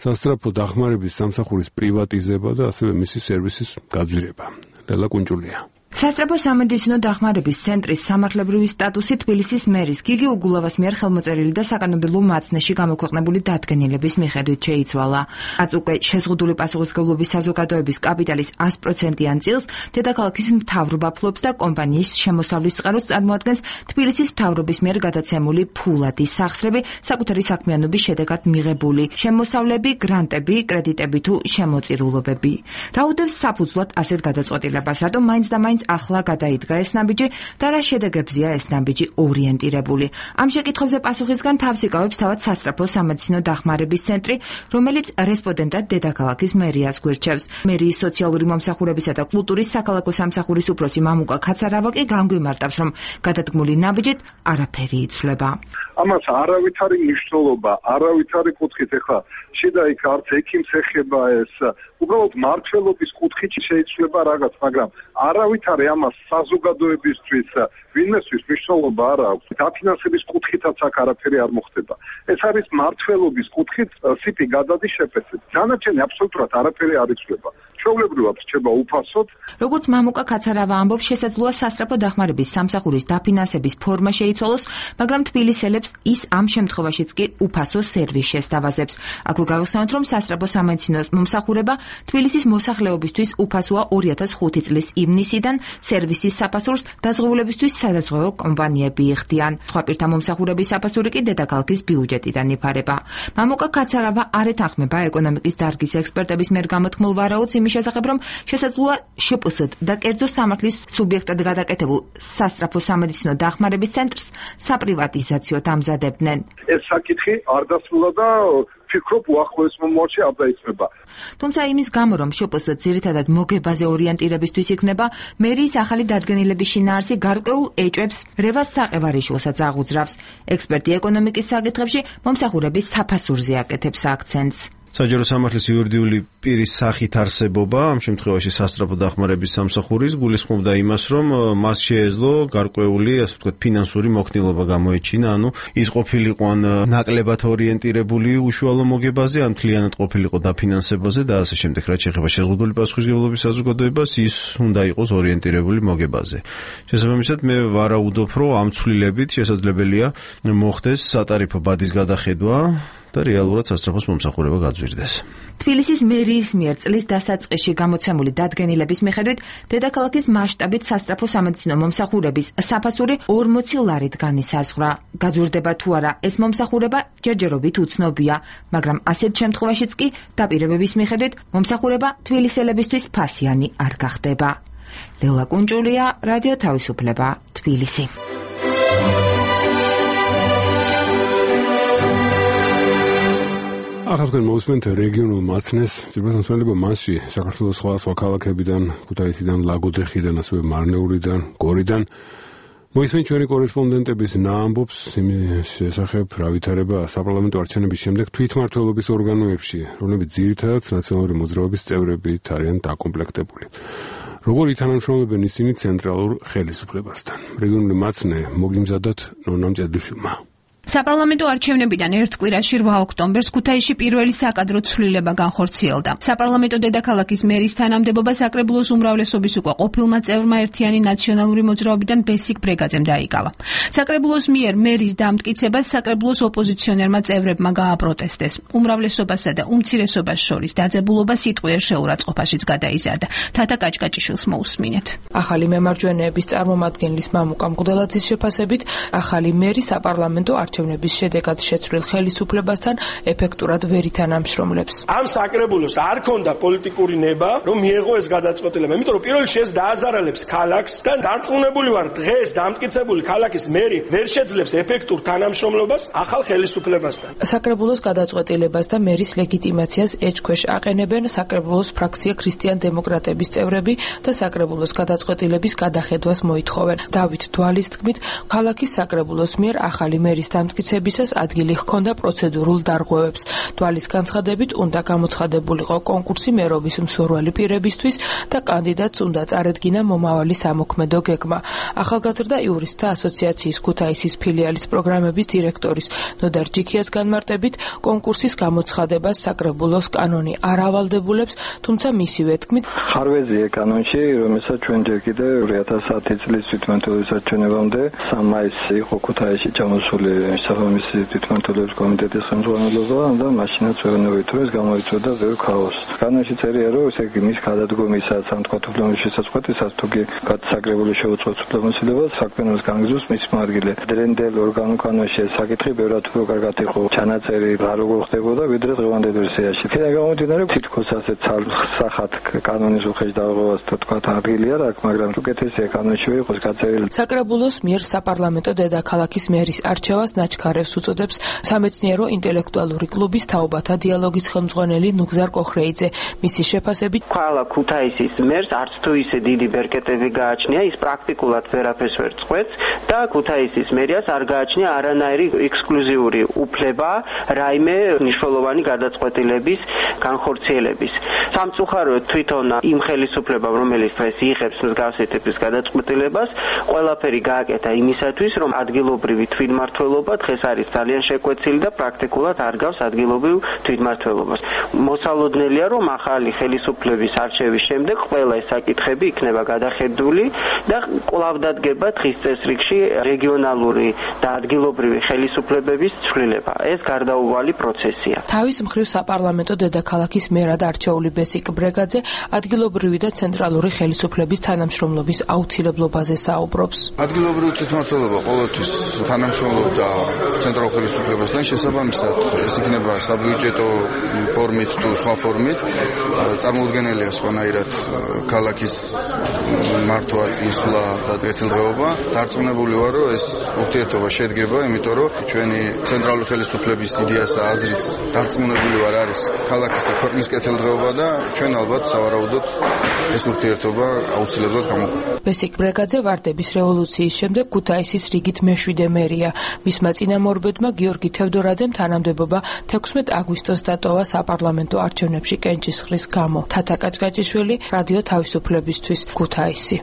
სასწრაფო დახმარების სამსახურის პრივატიზება და ასევე მისი სერვისის გაძვირება. ლელა კუნჭულია. სასწრაფო სამედიცინო დახმარების ცენტრის სამართლებრივი სტატუსი თბილისის მერის გიგი უგულავას მიერ ხელმოწერილი და საკანონმდებლო მაცნეში გამოქვეყნებული დადგენილების მიხედვით შეიცვალა. რაც უკვე შეზღუდული პასუხისმგებლობის საზოგადოების კაპიტალის ას პროცენტიან წილს დედაქალაქის მთავრობა ფლობს და კომპანიის შემოსავლის წყაროს წარმოადგენს თბილისის მთავრობის მიერ გადაცემული ფულადი სახსრები საკუთარი საქმიანობის შედეგად მიღებული შემოსავლები, გრანტები, კრედიტები თუ შემოწირულობები. რა უდევს საფუძვლად ასეთ გადაწყვეტილებას, რატომ მაინც და მაინც ახლა გადაიდგა ეს ნაბიჯი და რა შედეგებზეა ეს ნაბიჯი ორიენტირებული. ამ შეკითხვებზე პასუხისგან თავს იკავებს თავად სასწრაფო სამედიცინო დახმარების ცენტრი, რომელიც რესპონდენტად დედაქალაქის მერიას გვირჩევს. მერიის სოციალური მომსახურებისა და კულტურის საქალაქო სამსახურის უფროსი მამუკა ქაცარავა კი გამგვიმარტავს, რომ გადადგმული ნაბიჯით არაფერი იცვლება. ამას არავითარი მნიშვნელობა, არავითარი კუთხით ეხლა შედაიქ არც ექიმს ეხება ეს, უბრალოდ მართლობის კუთხით შეიცვლება რაღაც, მაგრამ არავითარი ამას საზოგადოებისთვის ვინმესთვის მნიშვნელობა არ აქვს. დაფინანსების კუთხითაც აქ არაფერი არ მოხდება. ეს არის მართლობის კუთხით სიტი გადადის შეფასებით. დანარჩენი აბსოლუტურად არაფერი არ იცვლება. ჩვეულებრივად რჩება უფასოდ. როგორც მამუკა ქაცარავა ამბობს, შესაძლოა სასწრაფო დახმარების სამსახურის დაფინანსების ფორმა შეიცვალოს, მაგრამ თბილისელებს ის ამ შემთხვევაშიც კი უფასო სერვის შესთავაზებს. აქვე გავიხსენოთ, რომ სასწრაფო სამედიცინო მომსახურება თბილისის მოსახლეობისთვის უფასოა ორი ათას ხუთი წლის ივნისიდან, სერვისის საფასურს დაზღვეულებისთვის სადაზღვევო კომპანიები იხდიან. სხვა პირთა მომსახურების საფასური კი დედაქალაქის ბიუჯეტიდან იფარება. მამუკა ქაცარავა არ ეთანხმება ეკონომიკის დარგის ექსპერტების მიერ გამოთქმულ ვარაუდს იმის შესახებ, რომ შესაძლოა შპს-д და კერძო სამართლის სუბიექტად გადაკეთებულ სასწრაფო სამედიცინო დახმარების ცენტრს საპრივატიზაციოდ ამზადებდნენ. ეს საკითხი არ დასრულა და ფიქრობ უახლოეს მომავალში არ დაიწყება. თუმცა იმის გამო, რომ შპს-д ძირითადად მოგებაზე ორიენტირებისთვის იქნება, მერიის ახალი დადგენილების შინაარსი გარკვეულ ეჭვებს რევას საყევარიშვილსაც აღუძრავს. ექსპერტი ეკონომიკის საკითხებში მომსახურების საფასურზე აკეთებს აქცენტს. საჯარო სამართლის იურიდიული პირის სახით არსებობა, ამ შემთხვევაში სასწრაფო დახმარების სამსახურის გულისხმობდა იმას, რომ მას შეეძლო გარკვეული, ასე ვთქვათ, ფინანსური მოქნილობა გამოეჩინა, ანუ ის ყოფილიყო ან ნაკლებად ორიენტირებული უშუალო მოგებაზე, ან მთლიანად ყოფილიყო დაფინანსებაზე და ასე შემდეგ, რაც შეეხება შეზღუდული პასუხისმგებლობის საზოგადოებას, ის უნდა იყოს ორიენტირებული მოგებაზე. შესაბამისად, მე ვარაუდობ, რომ ამ ცვლილებით შესაძლებელია მოხდეს სატარიფო ბადის გადახედვა და რეალურად სასწრაფოს მომსახურება გაძვირდეს. თბილისის მერიის მიერ წლის დასაწყისში გამოცემული დადგენილების მიხედვით, დედაქალაქის მასშტაბით სასწრაფო სამედიცინო მომსახურების საფასური ორმოცი ლარით განისაზღვრა. გაძვირდება თუ არა ეს მომსახურება ჯერჯერობით უცნობია, მაგრამ ასეთ შემთხვევაშიც კი დაპირებების მიხედვით მომსახურება თბილისელებისთვის ფასიანი არ გახდება. ლელა კუნჭულია, რადიო თავისუფლება, თბილისი. ახლა თქვენ მოусმენთ რეგიონულ მაცნეს, ძირითადად მასში საქართველოს სხვა სხვა ქალაქებიდან, ქუთაისიდან, ლაგოდეხიდან, ასევე მარნეულიდან, გორიდან მოისმენთ ჩვენი კორესპონდენტების ნაამბობს იმის შესახებ, რა ვითარება საპარლამენტო არჩევნების შემდეგ თვითმმართველობის ორგანოებში, რომლებიც ძირითადად ნაციონალური მოძრაობის წევრებით არიან დაკომპლექტებული. როგორ ითანამშრომლებენ ისინი ცენტრალურ ხელისუფლებასთან? რეგიონული მაცნე მოგიმზადოთ ნონა მჭედლიშვილმა. საპარლამენტო არჩევნებიდან ერთ კვირაში რვა ოქტომბერს ქუთაისში პირველი საკადრო ცვლილება განხორციელდა. საპარლამენტო დედაქალაქის მერის თანამდებობა საკრებულოს უმრავლესობის უკვე ყოფილმა წევრმა ერთიანი ნაციონალური მოძრაობიდან ბესიკ ბრეგაძემ დაიკავა. საკრებულოს მიერ მერის დამტკიცებას საკრებულოს ოპოზიციონერმა წევრებმა გააპროტესტეს. უმრავლესობასა და უმცირესობას შორის დაძაბულობა სიტყვიერ შეურაცხყოფაშიც გადაიზარდა. თათა კაჭკაჭიშვილს მოусმინეთ. ახალი მემარჯვენეების წარმომადგენლის მამუკა მღვდელაძის შეფასებით, ახალი მერი საპარლამენტო არჩევნების შედეგად შეცვლილ ხელისუფლებასთან ეფექტურად ვერ ითანამშრომლებს. ამ საკრებულოს არ ქონდა პოლიტიკური ნება, რომ მიეღო ეს გადაწყვეტილება, იმიტომ რომ პირველ რიგში ეს დააზარალებს ქალაქს და დარწმუნებული ვარ, დღეს დამტკიცებული ქალაქის მერი ვერ შეძლებს ეფექტურ თანამშრომლობას ახალ ხელისუფლებასთან. საკრებულოს გადაწყვეტილებას და მერის ლეგიტიმაციას ეჭქვეშ აყენებენ საკრებულოს ფრაქცია ქრისტიან დემოკრატების წევრები და საკრებულოს გადაწყვეტილების გადახედვას მოითხოვენ. დავით თვალის თქმით, ქალაქის საკრებულოს მიერ ახალი მერის დამტკიცებისას ადგილი ჰქონდა პროცედურულ დარღვევებს. თვალის განცხადებით უნდა გამოცხადებულიყო კონკურსი მერობის მსურველი პირებისთვის და კანდიდატს უნდა წარედგინა მომავალი სამოქმედო გეგმა. ახალგაზრდა იურისტთა ასოციაციის ქუთაისის ფილიალის პროგრამების დირექტორის ნოდარ ჯიქიას განმარტებით, კონკურსის გამოცხადებას საკრებულოს კანონი არ ავალდებულებს, თუმცა მისივე თქმით, ხარვეზია კანონში, რომელსაც ჩვენ ჯერ კიდევ ორი ათას ათი წლის თვითმმართველობის არჩევნებამდე სამი მაისს იყო ქუთაისში ჩამოსული საფრანგეთის თვითმმართველობის კომიტეტის ხელმძღვანელობა და მაშინაც ვეუბნებით, რომ ეს გამოიწვევდა ბევრ ქაოსს. კანონში წერია, რომ ესე იგი მის გადადგომისას ამ თვითმმართველობის შესაძლებლობისას თუ კი გადასაკრებული შეუწყოს უფლებამოსილებას საქმიანობას განგზავს მის მარგილე. დრენდელ ორგანო კანონში ეს საკითხი ბევრად უფრო კარგად იყო ჩანაწერი რა როგორ ხდებოდა ვიდრე დღევანდელ ვერსიაში. იქიდან გამომდინარე, თითქოს ასეთ სახათ კანონის უხეშ დაღოვას თქვა ადგილი არ აქვს, მაგრამ უკეთესია კანონში იყოს გაწერილი. საკრებულოს მიერ საპარლამენტო დედაქალაქის მერის არჩევას ნაჩქარევს უწოდებს სამეცნიერო ინტელექტუალური კლუბის თაობათა დიალოგის ხელმძღვანელი ნუგზარ კოხრეიძე. მისი შეფასებით, ყველა ქუთაისის მერს არც თუ ისე დიდი ბერკეტები გააჩნია, ის პრაქტიკულად ვერაფერს ვერ წყვეტს და ქუთაისის მერიას არ გააჩნია არანაირი ექსკლუზიური უფლება რაიმე მნიშვნელოვანი გადაწყვეტილების განხორციელების. სამწუხაროდ თვითონ იმ ხელისუფლებამ, რომელიც დღეს იღებს მსგავსი ტიპის გადაწყვეტილებას, ყველაფერი გააკეთა იმისათვის, რომ ადგილობრივი თვითმმართველობა დღეს არის ძალიან შეკვეცილი და პრაქტიკულად არ გავს ადგილობრივ თვითმმართველობას. მოსალოდნელია, რომ ახალი ხელისუფლების არჩევის შემდეგ ყველა ეს საკითხები იქნება გადახედული და კვლავ დადგება დღის წესრიგში რეგიონალური და ადგილობრივი ხელისუფლებების ცვლილება. ეს გარდაუვალი პროცესია. თავის მხრივ საპარლამენტო დედაქალაქის მერად არჩეული ბესიკ ბრეგაძე ადგილობრივი და ცენტრალური ხელისუფლების თანამშრომლობის აუცილებლობაზე საუბრობს. ადგილობრივი თვითმმართველობა ყოველთვის თანამშრომლობდა ცენტრალურ ხელისუფლებასთან, შესაბამისად ეს იქნება საბიუჯეტო ფორმით თუ სხვა ფორმით, წარმოუდგენელია სხვანაირად ქალაქის მართვა, წინსვლა და კეთილდღეობა. დარწმუნებული ვარ, რომ ეს ურთიერთობა შედგება, იმიტომ რომ ჩვენი ცენტრალური ხელისუფლების იდეას და აზრით დარწმუნებული ვარ არის ქალაქის და ქვეყნის კეთილდღეობა და ჩვენ ალბათ სავარაუდოდ ეს ურთიერთობა აუცილებლად გამოგვიყვება. ბესიკ ბრეგაძე ვარდების რევოლუციის შემდეგ ქუთაისის რიგით მეშვიდე მერია. მისმა წინამორბედმა გიორგი თევდორაძემ თანამდებობა თექვსმეტ აგვისტოს დატოვა საპარლამენტო არჩევნებში კენჭისყრის გამო. თათა კაჭკაჭიშვილი, რადიო თავისუფლებისთვის, ქუთაისი.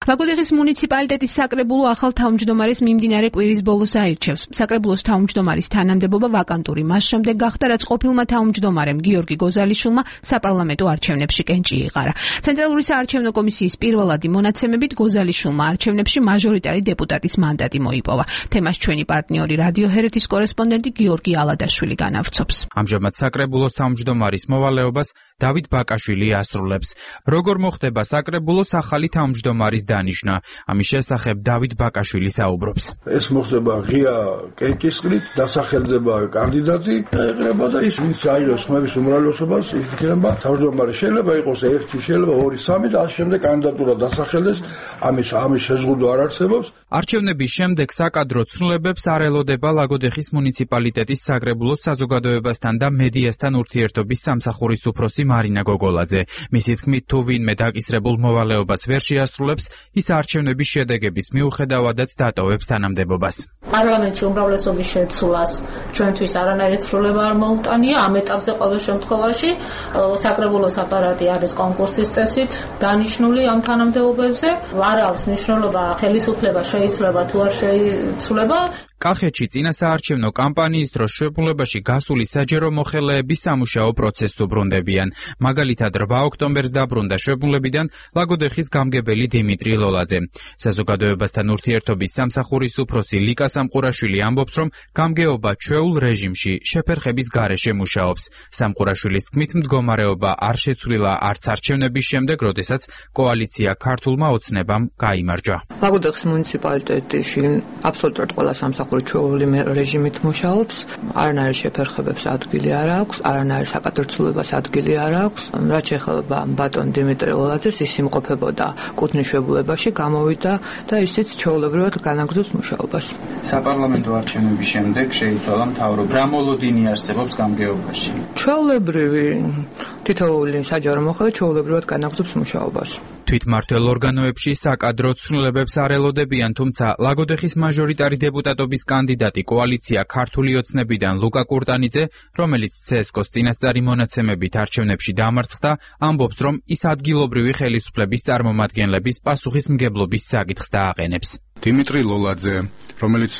ლაგოდეხის მუნიციპალიტეტის საკრებულო ახალ თავმჯდომარეს მიმდინარე კვირის ბოლოს აირჩევს. საკრებულოს თავმჯდომარის თანამდებობა ვაკანტური მას შემდეგ გახდა, რაც ყოფილმა თავმჯდომარემ გიორგი გოზალიშვილმა საპარლამენტო არჩევნებში კენჭი იყარა. ცენტრალური საარჩევნო კომისიის პირველადი მონაცემებით გოზალიშვილმა არჩევნებში მაჟორიტარი დეპუტატის მანდატი მოიპოვა. თემას ჩვენი პარტნიორი რადიო ჰერეთის კორესპონდენტი გიორგი ალადაშვილი განავრცობს. ამჟამად საკრებულოს თავმჯდომარის მოვალეობას დავით ბაკაშვილი ასრულებს. როგორ მოხდება საკრებულოს ახალი თავმჯდომარის დანიშნა. ამის შესახებ დავით ბაკაშვილი საუბრობს. ეს მოხდება ღია კენჭისყრით, დასახელდება კანდიდატი, ეყრება და ის ვინც აიღებს ხმების უმრავლესობას, ის იქნება თავმჯდომარე. შეიძლება იყოს ერთი, შეიძლება ორი, სამი და ამ შემდეგ კანდიდატურა დასახელდეს, ამის ამის შეზღუდვა არ არსებობს. არჩევნების შემდეგ საკადრო ცვლილებებს არ ელოდება ლაგოდეხის მუნიციპალიტეტის საკრებულოს საზოგადოებასთან და მედიასთან ურთიერთობის სამსახურის უფროსი მარინა გოგოლაძე. მისი თქმით, თუ ვინმე დაკისრებულ მოვალეობას ვერ შეასრულებს, ის არჩევნების შედეგების მიუხედავადაც დატოვებს თანამდებობას. პარლამენტში უმრავლესობის შეცვლას ჩვენთვის არანაირი ცვლილება არ მოუტანია. ამ ეტაპზე ყოველ შემთხვევაში საკრებულოს აპარატი არის კონკურსის წესით დანიშნული ამ თანამდებობებზე. არ აქვს მნიშვნელობა ხელისუფლება შეიცვლება თუ არ შეიცვლება. კახეთში წინასაარჩევნო კამპანიის დროს შეფულებაში გასული საჯარო მოხელეების სამუშაო პროცესს უბრუნდებიან. მაგალითად, რვა ოქტომბერს დაბრუნდა შეფულებიდან ლაგოდეხის გამგებელი დიმიტრი ლოლაძე. საზოგადოებასთან ურთიერთობის სამსახურის უფროსი ლიკა სამყურაშვილი ამბობს, რომ გამგეობა ჩვეულ რეჟიმში შეფერხების გარეშე მუშაობს. სამყურაშვილის თქმით, მდგომარეობა არ შეცვლილა არც არჩევნების შემდეგ, როდესაც კოალიცია ქართულმა ოცნებამ გაიმარჯვა. ლაგოდეხის მუნიციპალიტეტში აბსოლუტურად ყველა სამსახური ჩვეული რეჟიმით მუშაობს, არანაირი შეფერხებებს ადგილი არ აქვს, არანაირი საკადრცულებას ადგილი არ აქვს. რაც ეხება ბატონ დიმიტრი ლოლაძეს, ის იმყოფებოდა კუთნის შებულებაში, გამოვიდა და ისიც ჩვეულებრივად განაგრძობს მუშაობას. საპარლამენტო არჩევნების შემდეგ შეიცვალა მთავრობა. რა მოლოდინი არსებობს გამგეობაში? ჩვეულებრივი თითოეული საჯარო მოხელე ჩვეულებრივად განაგრძობს მუშაობას. თვითმმართველ ორგანოებში საკადრო ცვლილებებს არ ელოდებიან, თუმცა ლაგოდეხის მაჟორიტარი დეპუტატობის კანდიდატი კოალიცია ქართული ოცნებიდან ლუკა კურტანიძე, რომელიც ცესკოს წინასწარი მონაცემებით არჩევნებში დამარცხდა, ამბობს, რომ ის ადგილობრივი ხელისუფლების წარმომადგენლების პასუხისმგებლობის საკითხს დააყენებს. დიმიტრი ლოლაძე, რომელიც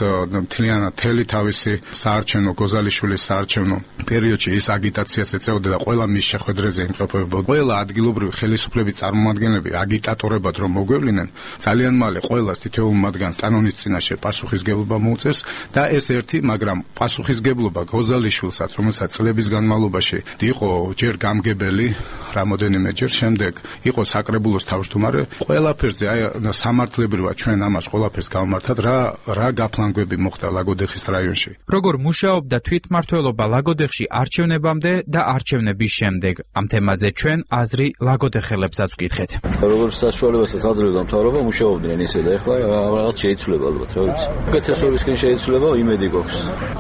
მთლიანად მთელი თავისი საარჩევნო გოზალიშვილის საარჩევნო პერიოდში ის აგიტაციას ეწეოდა და ყველა მის შეხვედრაზე იმყოფებოდა. ყველა ადგილობრივი ხელისუფლების წარმომადგენლები აგიტატორებად რომ მოგვევლინენ, ძალიან მალე ყველას თითოეულ მათგანს კანონის წინაშე პასუხისგებლობა მოუწევს და ეს ერთი, მაგრამ პასუხისგებლობა გოზალიშვილსაც, რომელსაც წლების განმავლობაში იყო ჯერ გამგებელი, რამოდენიმეჯერ შემდეგ იყო საკრებულოს თავმჯდომარე, ყველაფერზე აი სამართლებრივად ჩვენ ამას ყველაფერს გავმართად, რა რა გაფლანგვები მოხდა ლაგოდეხის რაიონში. როგორ მუშაობდა თვითმმართველობა ლაგოდეხში არჩევნებამდე და არჩევნების შემდეგ? ამ თემაზე ჩვენ აზრი ლაგოდეხელებსაც ვკითხეთ. როგორც საშუალებასაც აძლევდა მთავრობა მუშაობდნენ ისე და ეხლა რაღაც შეიცვლება ალბათ, რა ვიცი. უკეთესობისკენ შეიცვლება, იმედი გვაქვს.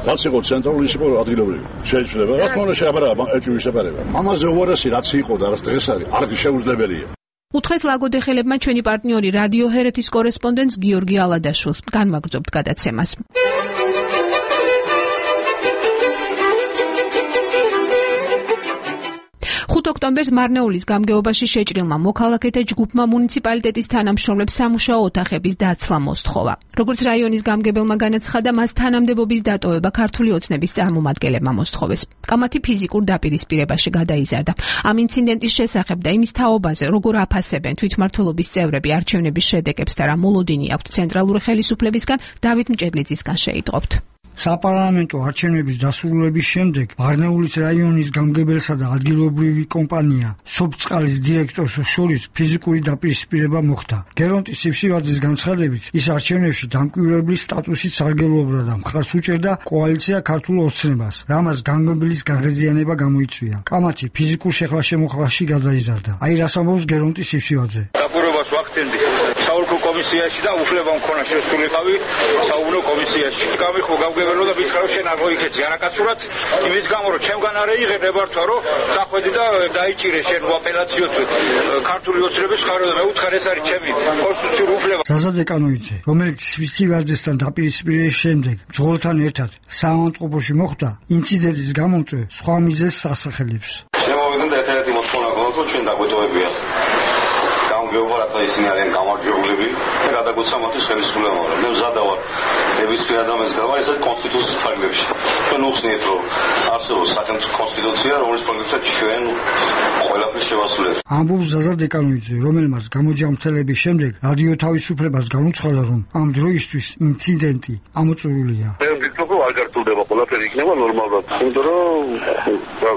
რაც იყო ცენტრალური, ის იყო ადგილობრივი. შეიცვლება, რა თქმა უნდა შეაბარა ეჭვი შეფერება. ამაზე უარესი რაც იყო და რაც დღეს არის, არ შეუძლებელია. უთხრეს ლაგოდეხელებმა ჩვენი პარტნიორი რადიო ჰერეთის კორესპონდენტს გიორგი ალადაშვილს. განვაგრძობთ გადაცემას. ხუთ ოქტომბერს მარნეულის გამგეობაში შეჭრილმა მოქალაქეთა ჯგუფმა მუნიციპალიტეტის თანამშრომლებს სამუშაო ოთახების დაცლა მოსთხოვა. როგორც რაიონის გამგებელმა განაცხადა, მას თანამდებობის დატოვება ქართული ოცნების წარმომადგენლებმა მოსთხოვეს. კამათი ფიზიკურ დაპირისპირებაში გადაიზარდა. ამ ინციდენტის შესახებ და იმის თაობაზე, როგორ აფასებენ თვითმმართველობის წევრები არჩევნების შედეგებს და რა მოლოდინი აქვთ ცენტრალური ხელისუფლებისგან, დავით მჭედლიძისგან შეიტყობთ. საპარლამენტო არჩევნების დასრულების შემდეგ მარნეულის რაიონის გამგებელსა და ადგილობრივი კომპანია სოფწყალის დირექტორს შორის ფიზიკური დაპირისპირება მოხდა. გერონტის სიფსივაძის განცხადებით, ის არჩევნებში დამკვირვებლის სტატუსით სარგებლობდა და მხარს უჭერდა კოალიცია ქართულ ოცნებას, რამაც გამგებლის განღეზიანება გამოიწვია. კამათი ფიზიკურ შეხლა-შემოხლაში გადაიზარდა. აი რას ამბობს გერონტის სიფსივაძე. დაკვირვებას ვახდენდი. საოლქო კომისიაში და უფლება მქონა შესულიყავი საუბნო კომისიაში. გამიხო გავგებელო და მითხრა შენ არ მოიქეცი არაკაცურად იმის გამო რომ ჩემგან არ ეიღე ნებართვა რომ დახვედი და დაიჭირე შენ აპელაციოდ ქართული ოცნების ხარო და მე უთხარ ეს არის ჩემი კონსტიტუციური უფლება. ზაზა დეკანოიძე, რომელიც სვიცივაძესთან დაპირისპირების შემდეგ მძღოლთან ერთად საავადმყოფოში მოხვდა, ინციდენტის გამომწვევ სხვა მიზეზს ასახელებს. შემოვიდნენ და ერთ-ერთი მოთხოვნა გქონდა ჩვენ დაგვეტოვებია. გამგეობა რათა ისინი არიან გამარჯვებულები და გადაგუცა მათთვის ხელისუფლება. მე მზადა ვარ ნებისმიერ ადამიანს გავარ ესეთ კონსტიტუციის ფარგლებში. ჩვენ უხსნით რომ არსებობს სახელმწიფო კონსტიტუცია, რომლის ფარგლებსაც ჩვენ ყველაფერს შევასრულებთ. ამბობს ზაზა დეკანოიძე, რომელმაც გამოჯამრთელების შემდეგ რადიო თავისუფლებას განუცხადა, რომ ამ დროისთვის ინციდენტი ამოწურულია. მე ვფიქრობ, რომ არ გართულდება ყველაფერი იქნება ნორმალურად. იმიტომ რომ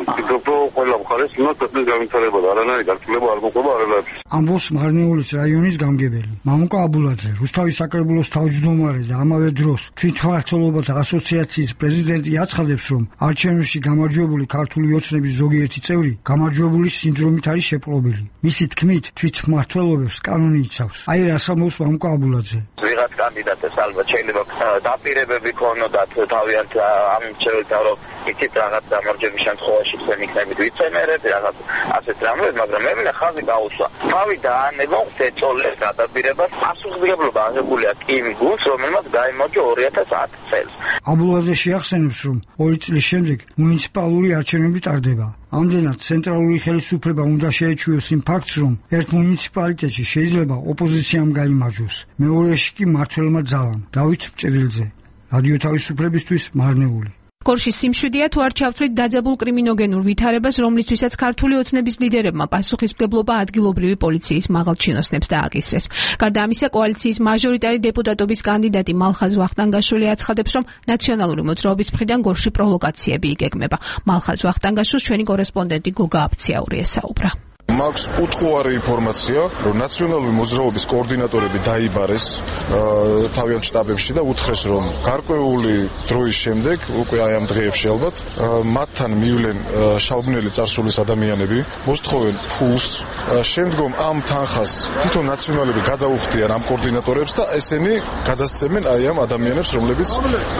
ვფიქრობ, რომ ყველა მხარეს უნდა ქვეყნის განვითარება და არანაირი გართულება არ მოყვება არანაირ. ამბობს მარნეულის რაიონის გამგებელი მამუკა აბულაძე, რუსთავის საკრებულოს თავმჯდომარე და ამავე დროს თვითმმართველობათა ასოციაციის პრეზიდენტი აცხადებს, რომ არჩევნებში გამარჯვებული ქართული ოცნების ზოგიერთი წევრი გამარჯვებულის სინდრომით არის შეპყრობილი. მისი თქმით, თვითმმართველობებს კანონი იცავს. აი რას ამბობს მამუკა აბულაძე. ვიღაც კანდიდატებს ალბათ შეიძლება დაპირებები ქონოდათ თავიანთ ამ შეეძლო რომ იცით რაღაც გამარჯვების შემთხვევაში თქვენ იქნებით ვიცემერები რაღაც ასეთ რამებს, მაგრამ მე მინდა ხაზი გაუსვა. თავი დაანება ეწოლეს გადაპირებას პასუხისმგებლობა აღებული აქვს იმ გუნდს, რომელმაც გაიმარჯვა ორი ათას ათი წელს. აბულაძე შეახსენებს, რომ ორი წლის შემდეგ მუნიციპალური არჩევნები ტარდება. ამდენად ცენტრალური ხელისუფლება უნდა შეეჩვიოს იმ ფაქტს, რომ ერთ მუნიციპალიტეტში შეიძლება ოპოზიციამ გაიმარჯვოს, მეორეში კი მმართველმა ძალამ. დავით მჭრილძე, რადიო თავისუფლებისთვის მარნეული. გორში სიმშვიდეა თუ არ ჩავთვლით დაძაბულ კრიმინოგენურ ვითარებას, რომლისთვისაც ქართული ოცნების ლიდერებმა პასუხისმგებლობა ადგილობრივი პოლიციის მაღალ ჩინოსნებს დააკისრეს. გარდა ამისა, კოალიციის მაჟორიტარი დეპუტატობის კანდიდატი მალხაზ ვახტანგაშვილი აცხადებს, რომ ნაციონალური მოძრაობის მხრიდან გორში პროვოკაციები იგეგმება. მალხაზ ვახტანგაშვილს ჩვენი კორესპონდენტი გოგა აფციაური ესაუბრა. მაქვს უთხოვარი ინფორმაცია, რომ ნაციონალური მოძრაობის კოორდინატორები დაიბარეს თავიანთ შტაბებში და უთხრეს, რომ გარკვეული დროის შემდეგ, უკვე აი ამ დღეებში ალბათ, მათთან მივლენ შავბნელი წარსულის ადამიანები, მოსთხოვენ ფულს, შემდგომ ამ თანხას თვითონ ნაციონალები გადაუხდიან ამ კოორდინატორებს და ესენი გადასცემენ აი ამ ადამიანებს, რომლებიც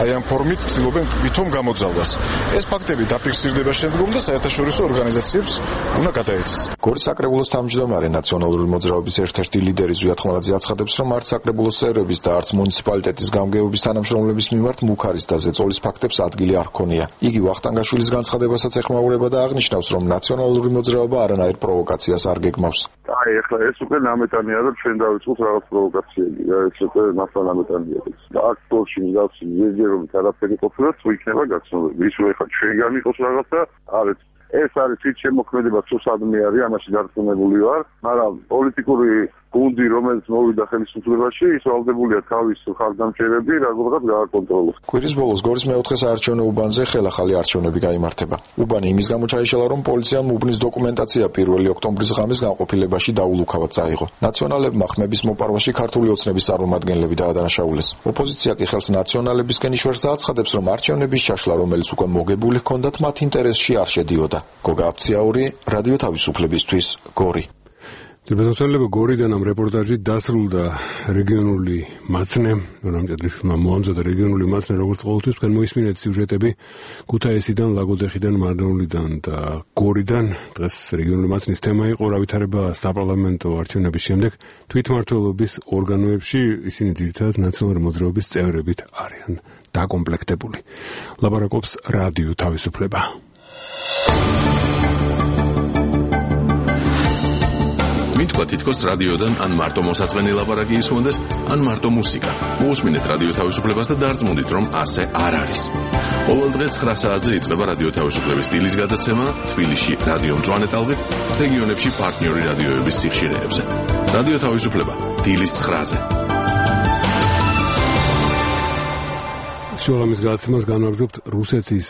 აი ამ ფორმით ცდილობენ ვითომ გამოძალვას. ეს ფაქტები დაფიქსირდება შემდგომ და საერთაშორისო ორგანიზაციებს უნდა გადაეცეს. საკრებულოს თავმჯდომარე ნაციონალური მოძრაობის ერთ-ერთი ლიდერი ზვიად ხმალაძე აცხადებს, რომ არც საკრებულოს წევრების და არც მუნიციპალიტეტის გამგეობის თანამშრომლების მიმართ მუქარის და ზეწოლის ფაქტებს ადგილი არ ჰქონია. იგი ვახტანგაშვილის განცხადებასაც ეხმაურება და აღნიშნავს, რომ ნაციონალური მოძრაობა არანაირ პროვოკაციას არ გეგმავს. აი, ახლა ეს უკვე ნამეტანია, რომ ჩვენ დავიწყოთ რაღაც პროვოკაციები. ეს უკვე მასა ნამეტანია. და აქ თორში მიგავსი ზედიერობით არაფერი ყოფილა, თუ იქნება გაცნობები. ის უეხა ჩვენ განიყოს რაღაცა, არის ეს არის თვითშემოქმედება, თუ სადმე არის, ამაში დარწმუნებული ვარ, მაგრამ პოლიტიკური გუნდი, რომელიც მოვიდა ხელისუფლებაში, ის ვალდებულია თავის ხარდამჭერები რაღაცა გააკონტროლოს. კვირის ბოლოს გორის მეოთხე საარჩევნო უბანზე ხელახალი არჩევნები გაიმართება. უბანი იმის გამო ჩაიშალა, რომ პოლიციამ უბნის დოკუმენტაცია პირველი ოქტომბრის ღამის განყოფილებაში დაულუქავად წაიღო. ნაციონალებმა ხმების მოპარვაში ქართული ოცნების წარმომადგენლები დაადანაშაულეს. ოპოზიცია კი ხელს ნაციონალებისკენ იშვერს და აცხადებს, რომ არჩევნების ჩაშლა, რომელიც უკვე მოგებული ჰქონდათ, მათ ინტერესში არ შედიოდა. გოგა აფციაური, რადიო თავისუფლებისთვის, გორი. ძირფესმცველებო, გორიდან ამ რეპორტაჟი დასრულდა რეგიონული მაცნე, რამჭედლიშვილმა მოამზადა რეგიონული მაცნე, როგორც ყოველთვის თქვენ მოისმინეთ სიუჟეტები ქუთაისიდან, ლაგოდეხიდან, მარნეულიდან და გორიდან. დღეს რეგიონული მაცნის თემა იყო რა ვითარება საპარლამენტო არჩევნების შემდეგ თვითმმართველობის ორგანოებში, ისინი ძირითადად ნაციონალური მოძრაობის წევრებით არიან დაკომპლექტებული. ლაპარაკობს რადიო თავისუფლება. მითქვა თითქოს რადიოდან ან მარტო მოსაწყენი ლაპარაკი ისმონდეს, ან მარტო მუსიკა. მოусმინეთ რადიო თავისუფლებას და დარწმუნდით, რომ ასე არ არის. ყოველდღე ცხრა საათზე იწყება რადიო თავისუფლების დილის გადაცემა თბილისში რადიო მწვანე ტალღით, რეგიონებში პარტნიორი რადიოების სიხშირეებზე. რადიო თავისუფლება დილის ცხრაზე. შუალამის გადაცემას განვაგრძობთ რუსეთის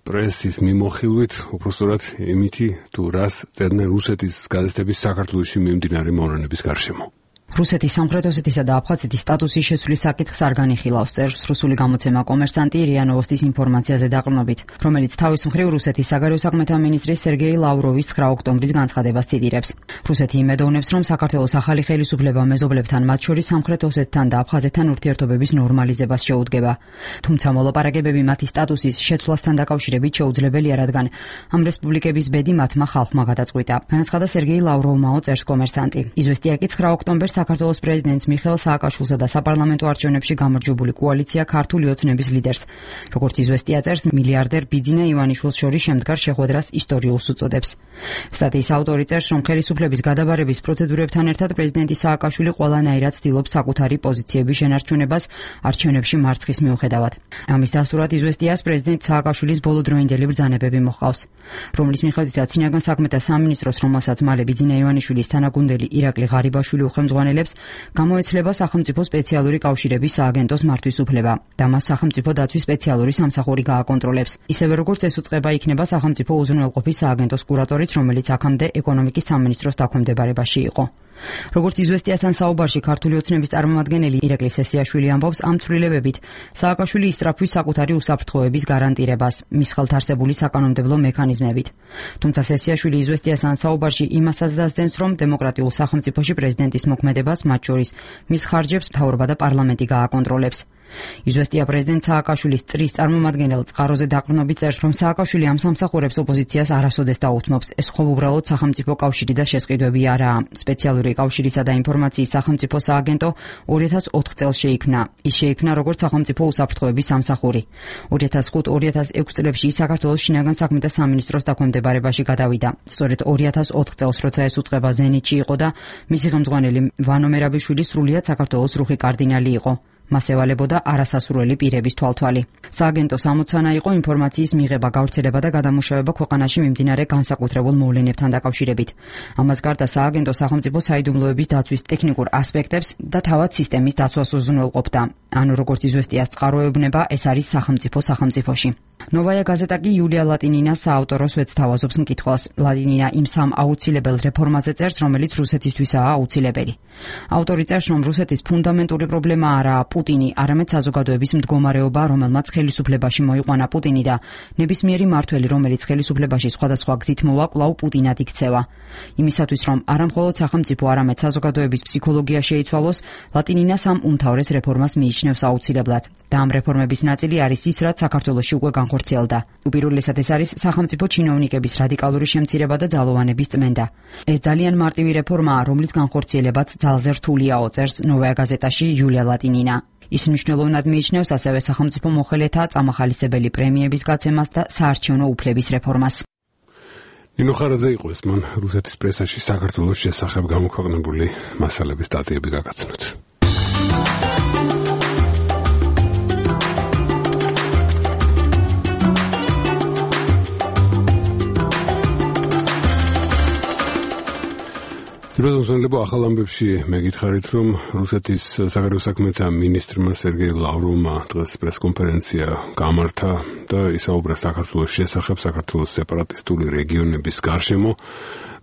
პრესის მიმოხილვით, უпростоრად იმითი თუ რას წერდნენ რუსეთის გაზეთების საქართველოში მიმდინარე მოვლენების გარშემო. რუსეთის სამხრეთ ოსეთისა და აფხაზეთის სტატუსის შეცვლის საკითხს არ განიხილავს, წერს რუსული გამოცემა კომერსანტი რია ნოვოსტის ინფორმაციაზე დაყრდნობით, რომელიც თავის მხრივ რუსეთის საგარეო საქმეთა მინისტრის სერგეი ლავროვის ცხრა ოქტომბრის განცხადებას ციტირებს. რუსეთი იმედოვნებს, რომ საქართველოს ახალი ხელისუფლება მეზობლებთან, მათ შორის სამხრეთ ოსეთთან და აფხაზეთთან ურთიერთობების ნორმალიზებას შეუდგება. თუმცა მოლაპარაკებები მათი სტატუსის შეცვლასთან დაკავშირებით შეუძლებელია, რადგან ამ რესპუბლიკების ბედი მათმა ხალხმა გადაწყვიტა. განაცხადა სერგეი ლავროვმაო, წერს კომერსანტი. იზვესტია კი ცხრა ოქტომბერს საქართველოს პრეზიდენტს მიხეილ სააკაშვილსა და საპარლამენტო არჩევნებში გამარჯვებული კოალიცია ქართული ოცნების ლიდერს, როგორც იზვესტია წერს, მილიარდერ ბიძინა ივანიშვილს შორის შემდგარ შეხვედრას ისტორიულს უწოდებს. სტატიის ავტორი წერს, რომ ხელისუფლების გადაბარების პროცედურებთან ერთად პრეზიდენტი სააკაშვილი ყველანაირად ცდილობს საკუთარი პოზიციების შენარჩუნებას არჩევნებში მარცხის მიუხედავად. ამის დასტურად იზვესტიას პრეზიდენტ სააკაშვილის ბოლოდროინდელი ბრძანებები მოჰყავს, რომლის მიხედვითაც წინაგან საქმეთა სამინისტროს, რომელსაც მალე ბიძინა ივანიშვილის თანაგუნდელი ირაკლი ღარიბაშვილი უხელმძღვანელებს, გამოეცლება სახელმწიფო სპეციალური კავშირების სააგენტოს მართვის უფლება და მას სახელმწიფო დაცვის სპეციალური სამსახური გააკონტროლებს. ისევე როგორც ეს უწყება იქნება სახელმწიფო უზრუნველყოფის სააგენტოს კურატორიც, რომელიც აქამდე ეკონომიკის სამინისტროს დაქვემდებარებაში იყო. როგორც იზვესტიასთან საუბარში ქართული ოცნების წარმომადგენელი ირაკლი სესიაშვილი ამბობს, ამ ცვლილებებით სააკაშვილი ისწრაფვის საკუთარი უსაფრთხოების გარანტირებას მის ხელთ არსებული საკანონმდებლო მექანიზმებით. თუმცა სესიაშვილი იზვესტიასთან საუბარში იმასაც დასდენს, რომ დემოკრატიულ სახელმწიფოში პრეზიდენტის მოქმედებას, მათ შორის მის ხარჯებს, მთავრობა და პარლამენტი გააკონტროლებს. იზვესტია პრეზიდენტ სააკაშვილის წრის წარმომადგენელ წყაროზე დაყრდნობით წერს, რომ სააკაშვილი ამ სამსახურებს ოპოზიციას არასოდეს დაუთმობს. ეს ხო უბრალოდ სახელმწიფო კავშირი და შესყიდვები არაა. სპეციალური კავშირისა და ინფორმაციის სახელმწიფო სააგენტო ორი ათას ოთხ წელს შეიქმნა. ის შეიქმნა როგორც სახელმწიფო უსაფრთხოების სამსახური. ორი ათას ხუთ ორი ათას ექვსი წლებში საქართველოს შინაგან საქმეთა სამინისტროს დაქვემდებარებაში გადავიდა. სწორედ ორი ათას ოთხ წელს, როცა ეს უწყება ზენიტში იყო და მისი ხელმძღვანელი ვანო მერაბიშვილი სრულიად საქართველოს რუხი კარდინალი იყო. მას ევალებოდა არასასურველი პირების თვალთვალი. სააგენტოს ამოცანა იყო ინფორმაციის მიღება, გავრცელება და გადამუშავება ქვეყანაში მიმდინარე განსაკუთრებულ მოვლენებთან დაკავშირებით. ამას გარდა სააგენტო სახელმწიფო საიდუმლოების დაცვის ტექნიკურ ასპექტებს და თავად სისტემის დაცვას უზრუნველყოფდა. ანუ როგორც იზვესტიას წყაროებნება, ეს არის სახელმწიფო სახელმწიფოში. ნოვაია გაზეტა კი იულია ლატინინას საავტორო სვეტს თავაზობს მკითხველს. ლატინინა იმ სამ აუცილებელ რეფორმაზე წერს, რომელიც რუსეთისთვისაა აუცილებელი. ავტორი წერს, რომ რუსეთის ფუნდამენტური პრობლემა არაა პუტინი, არამედ საზოგადოების მდგომარეობა, რომელმაც ხელისუფლებაში მოიყვანა პუტინი და ნებისმიერი მმართველი, რომელიც ხელისუფლებაში სხვადასხვა გზით მოვა, კვლავ პუტინად იქცევა. იმისათვის, რომ არა მხოლოდ სახელმწიფო, არამედ საზოგადოების ფსიქოლოგია შეიცვალოს, ლატინინას ამ უმთავრეს რეფორმას მიიჩნევს აუცილებლად. და ამ რეფორმების ნაწილი არის ის, რაც საქართველოში უკვე განხორციელდა. უპირველესად ეს არის სახელმწიფო ჩინოვნიკების რადიკალური შემცირება და ძალოვანების წმენდა. ეს ძალიან მარტივი რეფორმაა, რომლის განხორციელებაც ძალზე რთულიაო, წერს ნოვაია გაზეტაში იულია ლატინინა. ის მნიშვნელოვნად მიიჩნევს ასევე სახელმწიფო მოხელეთა წამახალისებელი პრემიების გაცემას და საარჩევნო უფლების რეფორმას. ნინო ხარაძე იყო ეს მან რუსეთის პრესაში საქართველოს შესახებ გამოქვეყნებული მასალების სტატიები გაგაცნოთ. რუსეთსა ახალ ამბებში მეკითხარით, რომ რუსეთის საგარეო საქმეთა მინისტრმა სერგეი ლავროვმა დღეს პრესკონფერენცია გამართა და ისაუბრა საქართველოს შესახებ, საქართველოს სეპარატისტული რეგიონების გარშემო.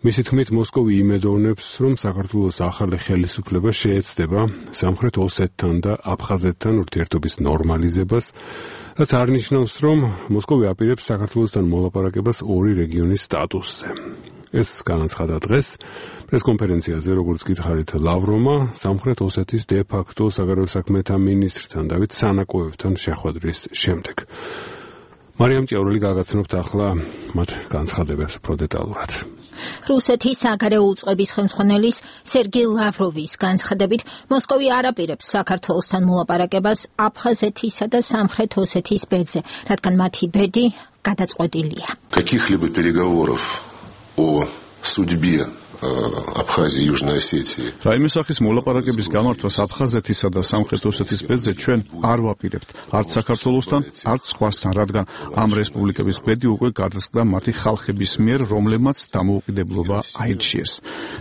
მისი თქმით, მოსკოვი იმედოვნებს, რომ საქართველოს ახალი ხელისუფლება შეეცდება სამხრეთ ოსეთთან და აფხაზეთთან ურთიერთობის ნორმალიზებას, რაც არ ნიშნავს, რომ მოსკოვი აპირებს საქართველოსთან მოლაპარაკებას ორი რეგიონის სტატუსზე. ეს განაცხადა დღეს პრესკონფერენციაზე, როგორც გითხარით, ლავროვმა სამხრეთ ოსეთის დე-ფაქტო საგარეო საქმეთა მინისტრთან დავით სანაკოევთან შეხვედრის შემდეგ. მარიამ ჭიაურელი გაგაცნობთ ახლა მათ განცხადებებს უფრო დეტალურად. რუსეთის საგარეო უწყების ხელმძღვანელის სერგეი ლავროვის განცხადებით, მოსკოვი არ აპირებს საქართველოსთან მოლაპარაკებას აფხაზეთისა და სამხრეთ ოსეთის ბედზე, რადგან მათი ბედი გადაწყვეტილია. Каких-либо переговоров о судьбе Абхазии и Южной Осетии. რაიმე სახის მოლაპარაკების გამართვას აფხაზეთისა და სამხრეთ ოსეთის ბედზე ჩვენ არ ვაპირებთ, არც საქართველოსთან, არც სხვასთან, რადგან ამ რესპუბლიკების ბედი უკვე გადასკდა მათი ხალხების მიერ, რომლებმაც დამოუკიდებლობა აირჩიეს.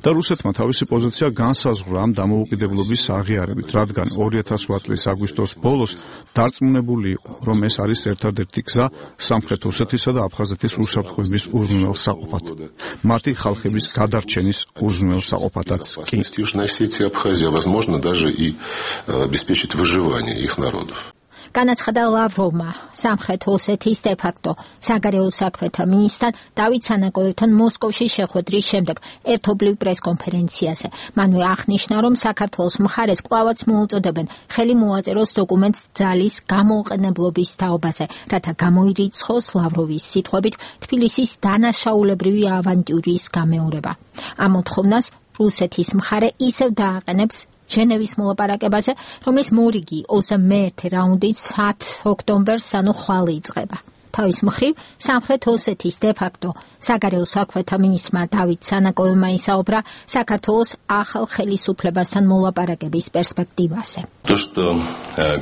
და რუსეთმა თავისი პოზიცია განსაზღვრა ამ დამოუკიდებლობის აღიარებით, რადგან ორი ათას ოთხ წლის აგვისტოს ბოლოს დარწმუნებული იყო, რომ ეს არის ერთადერთი გზა სამხრეთ ოსეთისა და აფხაზეთის უსაფრთხოების უზრუნველსაყოფად. მათი ხალხების გადარჩენის გერმანიის უზრუნველ საყოფათაც კი. Южной Осетии, Абхазия, возможно, даже и обеспечить выживание их народов. განაცხადა ლავროვმა სამხრეთ ოსეთის დე-ფაქტო საგარეო საქმეთა მინისტრთან დავით სანაკოევთან მოსკოვში შეხვედრის შემდეგ ერთობლივ პრესკონფერენციაზე. მანვე აღნიშნა, რომ საქართველოს მხარეს კვლავაც მოუწოდებენ ხელი მოაწეროს დოკუმენტს ძალის გამოუყენებლობის თაობაზე, რათა გამოირიცხოს ლავროვის სიტყვებით თბილისის დანაშაულებრივი ავანტიურის გამეორება. ამ მოთხოვნას რუსეთის მხარე ისევ დააყენებს ჟენევის მოლაპარაკებაზე, რომლის მორიგი ოცდამეერთე რაუნდით ათ ოქტომბერს, ანუ ხვალ იწყება. თავის მხრივ, სამხრეთ ოსეთის დე-ფაქტო საგარეო საქმეთა მინისტრმა დავით სანაკოევმა ისაუბრა საქართველოს ახალ ხელისუფლებასთან მოლაპარაკების პერსპექტივაზე. То, что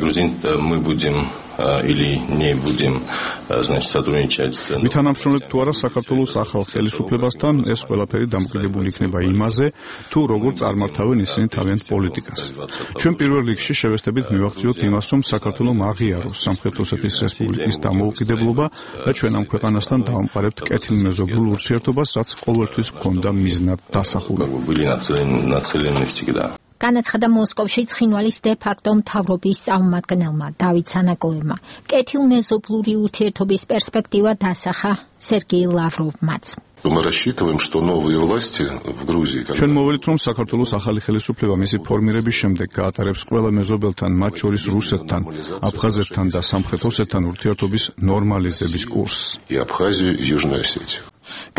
грузин мы будем или не будем, значит, сотрудничать с მითანამშრომლებ თუ არა საქართველოს ახალ ხელისუფლებასთან, ეს ყველაფერი დამოკიდებული იქნება იმაზე, თუ როგორ წარმართავენ ისინი თავიანთ პოლიტიკას. ჩვენ პირველ რიგში შევესწრებით მივახციოთ იმას, რომ საქართველოს აღიაროს სამხრეთ ოსეთის რესპუბლიკის დამოუკიდებლობა და ჩვენ ამ ქვეყანასთან დავამყარებთ კეთილმეზობლ ურთიერთობას, რაც ყოველთვის ჰქონდა მიზნად დასახული. განაცხადა მოსკოვში ცხინვალის დე-ფაქტო მთავრობის წარმომადგენელმა დავით სანაკოევმა. კეთილმეზობლური ურთიერთობის პერსპექტივა დასახა სერგეი ლავროვმაც. Мы рассчитываем, что новые власти в Грузии, ჩვენ მოვიდით, რომ საქართველოს ახალი ხელისუფლება მისი ფორმირების შემდეგ გაატარებს ყველა მეზობელთან, მათ შორის რუსეთთან, აფხაზეთთან და სამხრეთ ოსეთთან ურთიერთობის ნორმალიზების კურსს. И Абхазию, и Южную Осетию.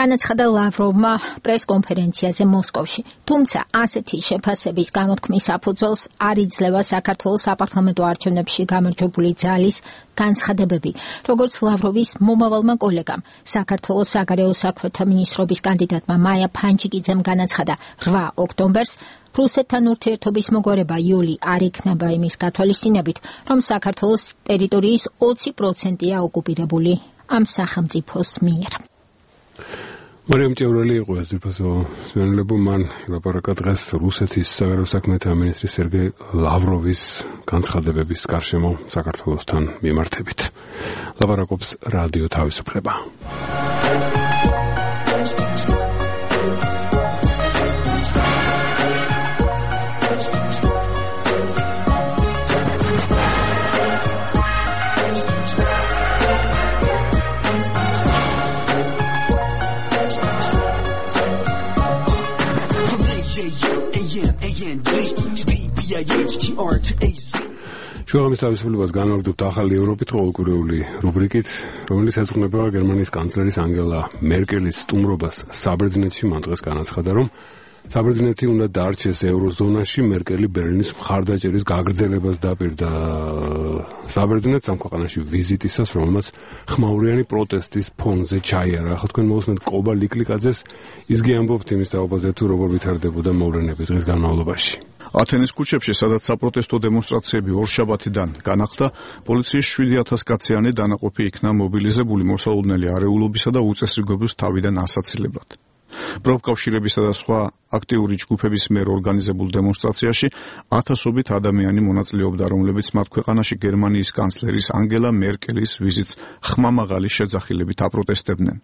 განაცხადა ლავროვმა პრესკონფერენციაზე მოსკოვში. თუმცა ასეთი შეფასების გამოთქმის საფუძველს არ იძლევა საქართველოს საპარლამენტო არჩევნებში გამარჯვებული ძალის განცხადებები, როგორც ლავროვის მომავალმა კოლეგამ, საქართველოს საგარეო საქმეთა მინისტრობის კანდიდატმა მაია ფანჯიკიძემ განაცხადა რვა ოქტომბერს, რუსეთთან ურთიერთობის მოგვარება იოლი არ იქნება იმის გათვალისწინებით, რომ საქართველოს ტერიტორიის ოცი პროცენტია ოკუპირებული ამ სახელმწიფოს მიერ. მარიამ ჭევრელი იყო ეს ძირფასო სვენლებო მან ლაპარაკა დღეს რუსეთის საგარეო საქმეთა მინისტრის სერგეი ლავროვის განცხადებების გარშემო საქართველოსთან მიმართებით. ლაპარაკობს რადიო თავისუფლება. შუამის თავისუფლებას განმარტებთ ახალი ევროპით ყოველკვირეული რუბრიკით, რომელიც ეძღვნება გერმანიის კანცლერის ანგელა მერკელის სტუმრობას საბერძნეთში. მან დღეს განაცხადა, რომ საბერძნეთი უნდა დარჩეს ევროზონაში. მერკელი ბერლინის მხარდაჭერის გაგრძელებას დაპირდა საბერძნეთს ამ ქვეყანაში ვიზიტისას, რომელმაც ხმაურიანი პროტესტის ფონზე ჩაიარა. ახლა თქვენ მოусმენთ კობა ლიკლიკაძეს, ისგე ამბობთ იმის თაობაზე, თუ როგორ ვითარდებოდა მოვლენები დღის განმავლობაში. ათენის ქუჩებში, სადაც საპროტესტო დემონსტრაციები ორშაბათიდან განახლდა, პოლიციის შვიდი ათას კაციანი დანაყოფი იქნა მობილიზებული მოსალოდნელი არეულობისა და უწესრიგობის თავიდან ასაცილებლად. პროფკავშირებისა და სხვა აქტიური ჯგუფების მიერ ორგანიზებულ დემონსტრაციაში ათასობით ადამიანი მონაწილეობდა, რომლებიც მათ ქვეყანაში გერმანიის კანცლერის ანგელა მერკელის ვიზიტს ხმამაღალი შეძახილებით აპროტესტებდნენ.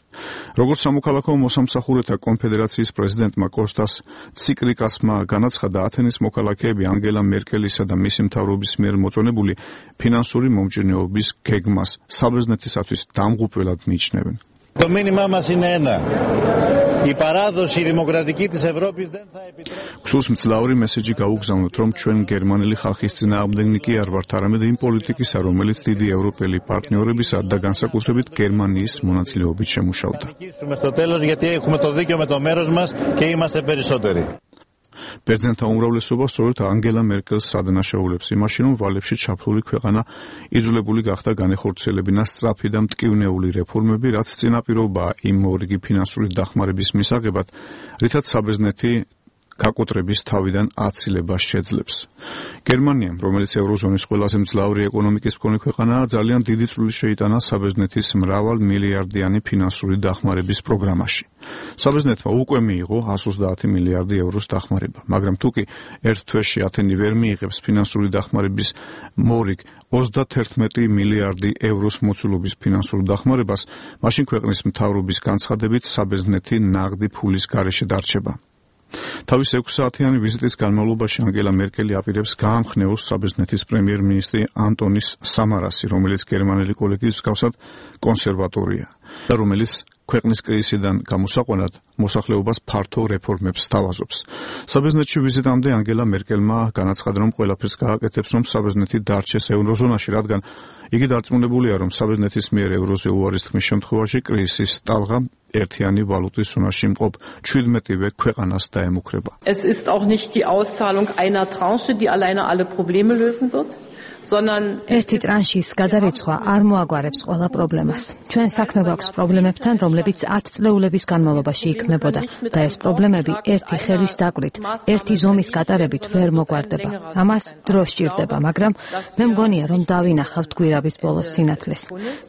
როგორც სამოქალაქო მოსამსახურეთა კონფედერაციის პრეზიდენტმა კოსტას ციკრიკასმა განაცხადა, ათენის მოქალაქეები ანგელა მერკელისა და მისი მთავრობის მიერ მოწონებული ფინანსური მომჭირნეობის გეგმას საბერძნეთისათვის დამღუპველად მიიჩნევენ. Το μήνυμά μας είναι ένα. Η παράδοση δημοκρατική της Ευρώπης δεν θα επιτρέψει. Ქსურს მძლავრი მესეჯი გაუგზავნოთ, რომ ჩვენ გერმანელი ხალხის წინააღმდეგნიკი არ ვართ, არამედ იმ პოლიტიკისა, რომელიც დიდი ევროპელი პარტნიორებისა და განსაკუთრებით გერმანიის მონაწილეობით შემუშავდა. Στο τέλος, γιατί έχουμε το δίκιο με το μέρος μας και είμαστε περισσότεροι. ბერძენთა უმრავლესობა სწორედ ანგელა მერკელს ადანაშაულებს იმაში, რომ ვალებში ჩაფლული ქვეყანა იძულებული გახდა განეხორციელებინა სწრაფი და მტკივნეული რეფორმები, რაც წინაპირობაა იმ მორიგი ფინანსური დახმარების მისაღებად, რითაც საბერძნეთი გაკოტრების თავიდან აცილებას შეძლებს. გერმანიამ, რომელიც ევროზონის ყველაზე მძლავრი ეკონომიკის მქონე ქვეყანაა, ძალიან დიდი წვლილი შეიტანა საბერძნეთის მრავალ მილიარდიანი ფინანსური დახმარების პროგრამაში. საბერძნეთმა უკვე მიიღო εκατს ოცდაათი მილიარდი ევროს დახმარება, მაგრამ თუ კი ერთ თვეში ათენი ვერ მიიღებს ფინანსური დახმარების მორიგ ოცდათერთმეტი მილიარდი ევროს მოცულობის ფინანსურ დახმარებას, მაშინ ქვეყნის მთავრობის განცხადებით საბერძნეთი ნაღდი ფულის გარეშე დარჩება. თავის ექვსი საათიანი ვიზიტის განმავლობაში ანგელა მერკელი აპირებს გაამხნევოს საბერძნეთის პრემიერ-მინისტრი ანტონის სამარასი, რომელიც გერმანელი კოლეგის მსგავსად კონსერვატორია და რომელიც ქვეყნის კრიზისიდან გამოსაყვანად მოსახლეობას ფართო რეფორმებს სთავაზობს. საბერძნეთში ვიზიტამდე ანგელა მერკელმა განაცხადა, რომ ყველაფერს გააკეთებს, რომ საბერძნეთი დარჩეს ევროზონაში, რადგან იგი დარწმუნებულია, რომ საბერძნეთის მიერ ევროზე უარის თქმის შემთხვევაში კრიზისის ტალღა ერთიანი ვალუტის ზონაში მყოფ ჩვიდმეტივე ქვეყანას დაემუქრება. Es ist auch nicht die Auszahlung einer Tranche, die alleine alle Probleme lösen wird. ერთი ტრანშის გადარიცხვა არ მოაგვარებს ყველა პრობლემას. ჩვენ საქმე გვაქვს პრობლემებთან, რომლებიც ათ წლეულების განმავლობაში იქმნებოდა და ეს პრობლემები ერთი ხელის დაკვრით, ერთი ზომის გატარებით ვერ მოგვარდება. ამას დრო სჭირდება, მაგრამ მე მგონია, რომ დავინახავთ გვირაბის ბოლოს სინათლეს.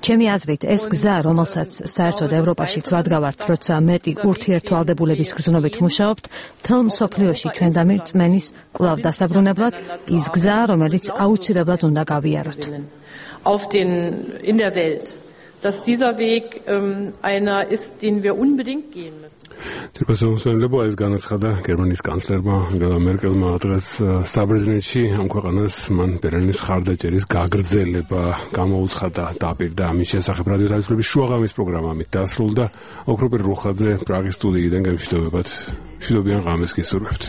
ჩემი აზრით, ეს გზა, რომელსაც საერთოდ ევროპაშიც ვადგავართ, როცა მეტი ურთიერთვალდებულების გრძნობით მუშაობთ, მთელ მსოფლიოში ჩვენდამი რწმენის კვლავ დასაბრუნებლად, ის გზა, რომელიც აუცილებლად უნდა გავიაროთ. Auf den in der Welt, dass dieser Weg ähm, einer ist, den wir unbedingt gehen müssen. Tirpasomsonlebo ეს განაცხადა გერმანიის კანცლერმა ანგელა მერკელმა დღეს საბერძნეთში ამ ქვეყანას მან ბერლინის მხარდაჭერის გაგრძელება გამოუცხადა დაპირდა ამის შესახებ რადიო თავისუფლების შუაღამის პროგრამა ამით დასრულდა. ოქროპერ რუხაძე პრაღის სტუდიიდან გამშვიდობებად. მშვიდობიან ღამეს გისურვებთ.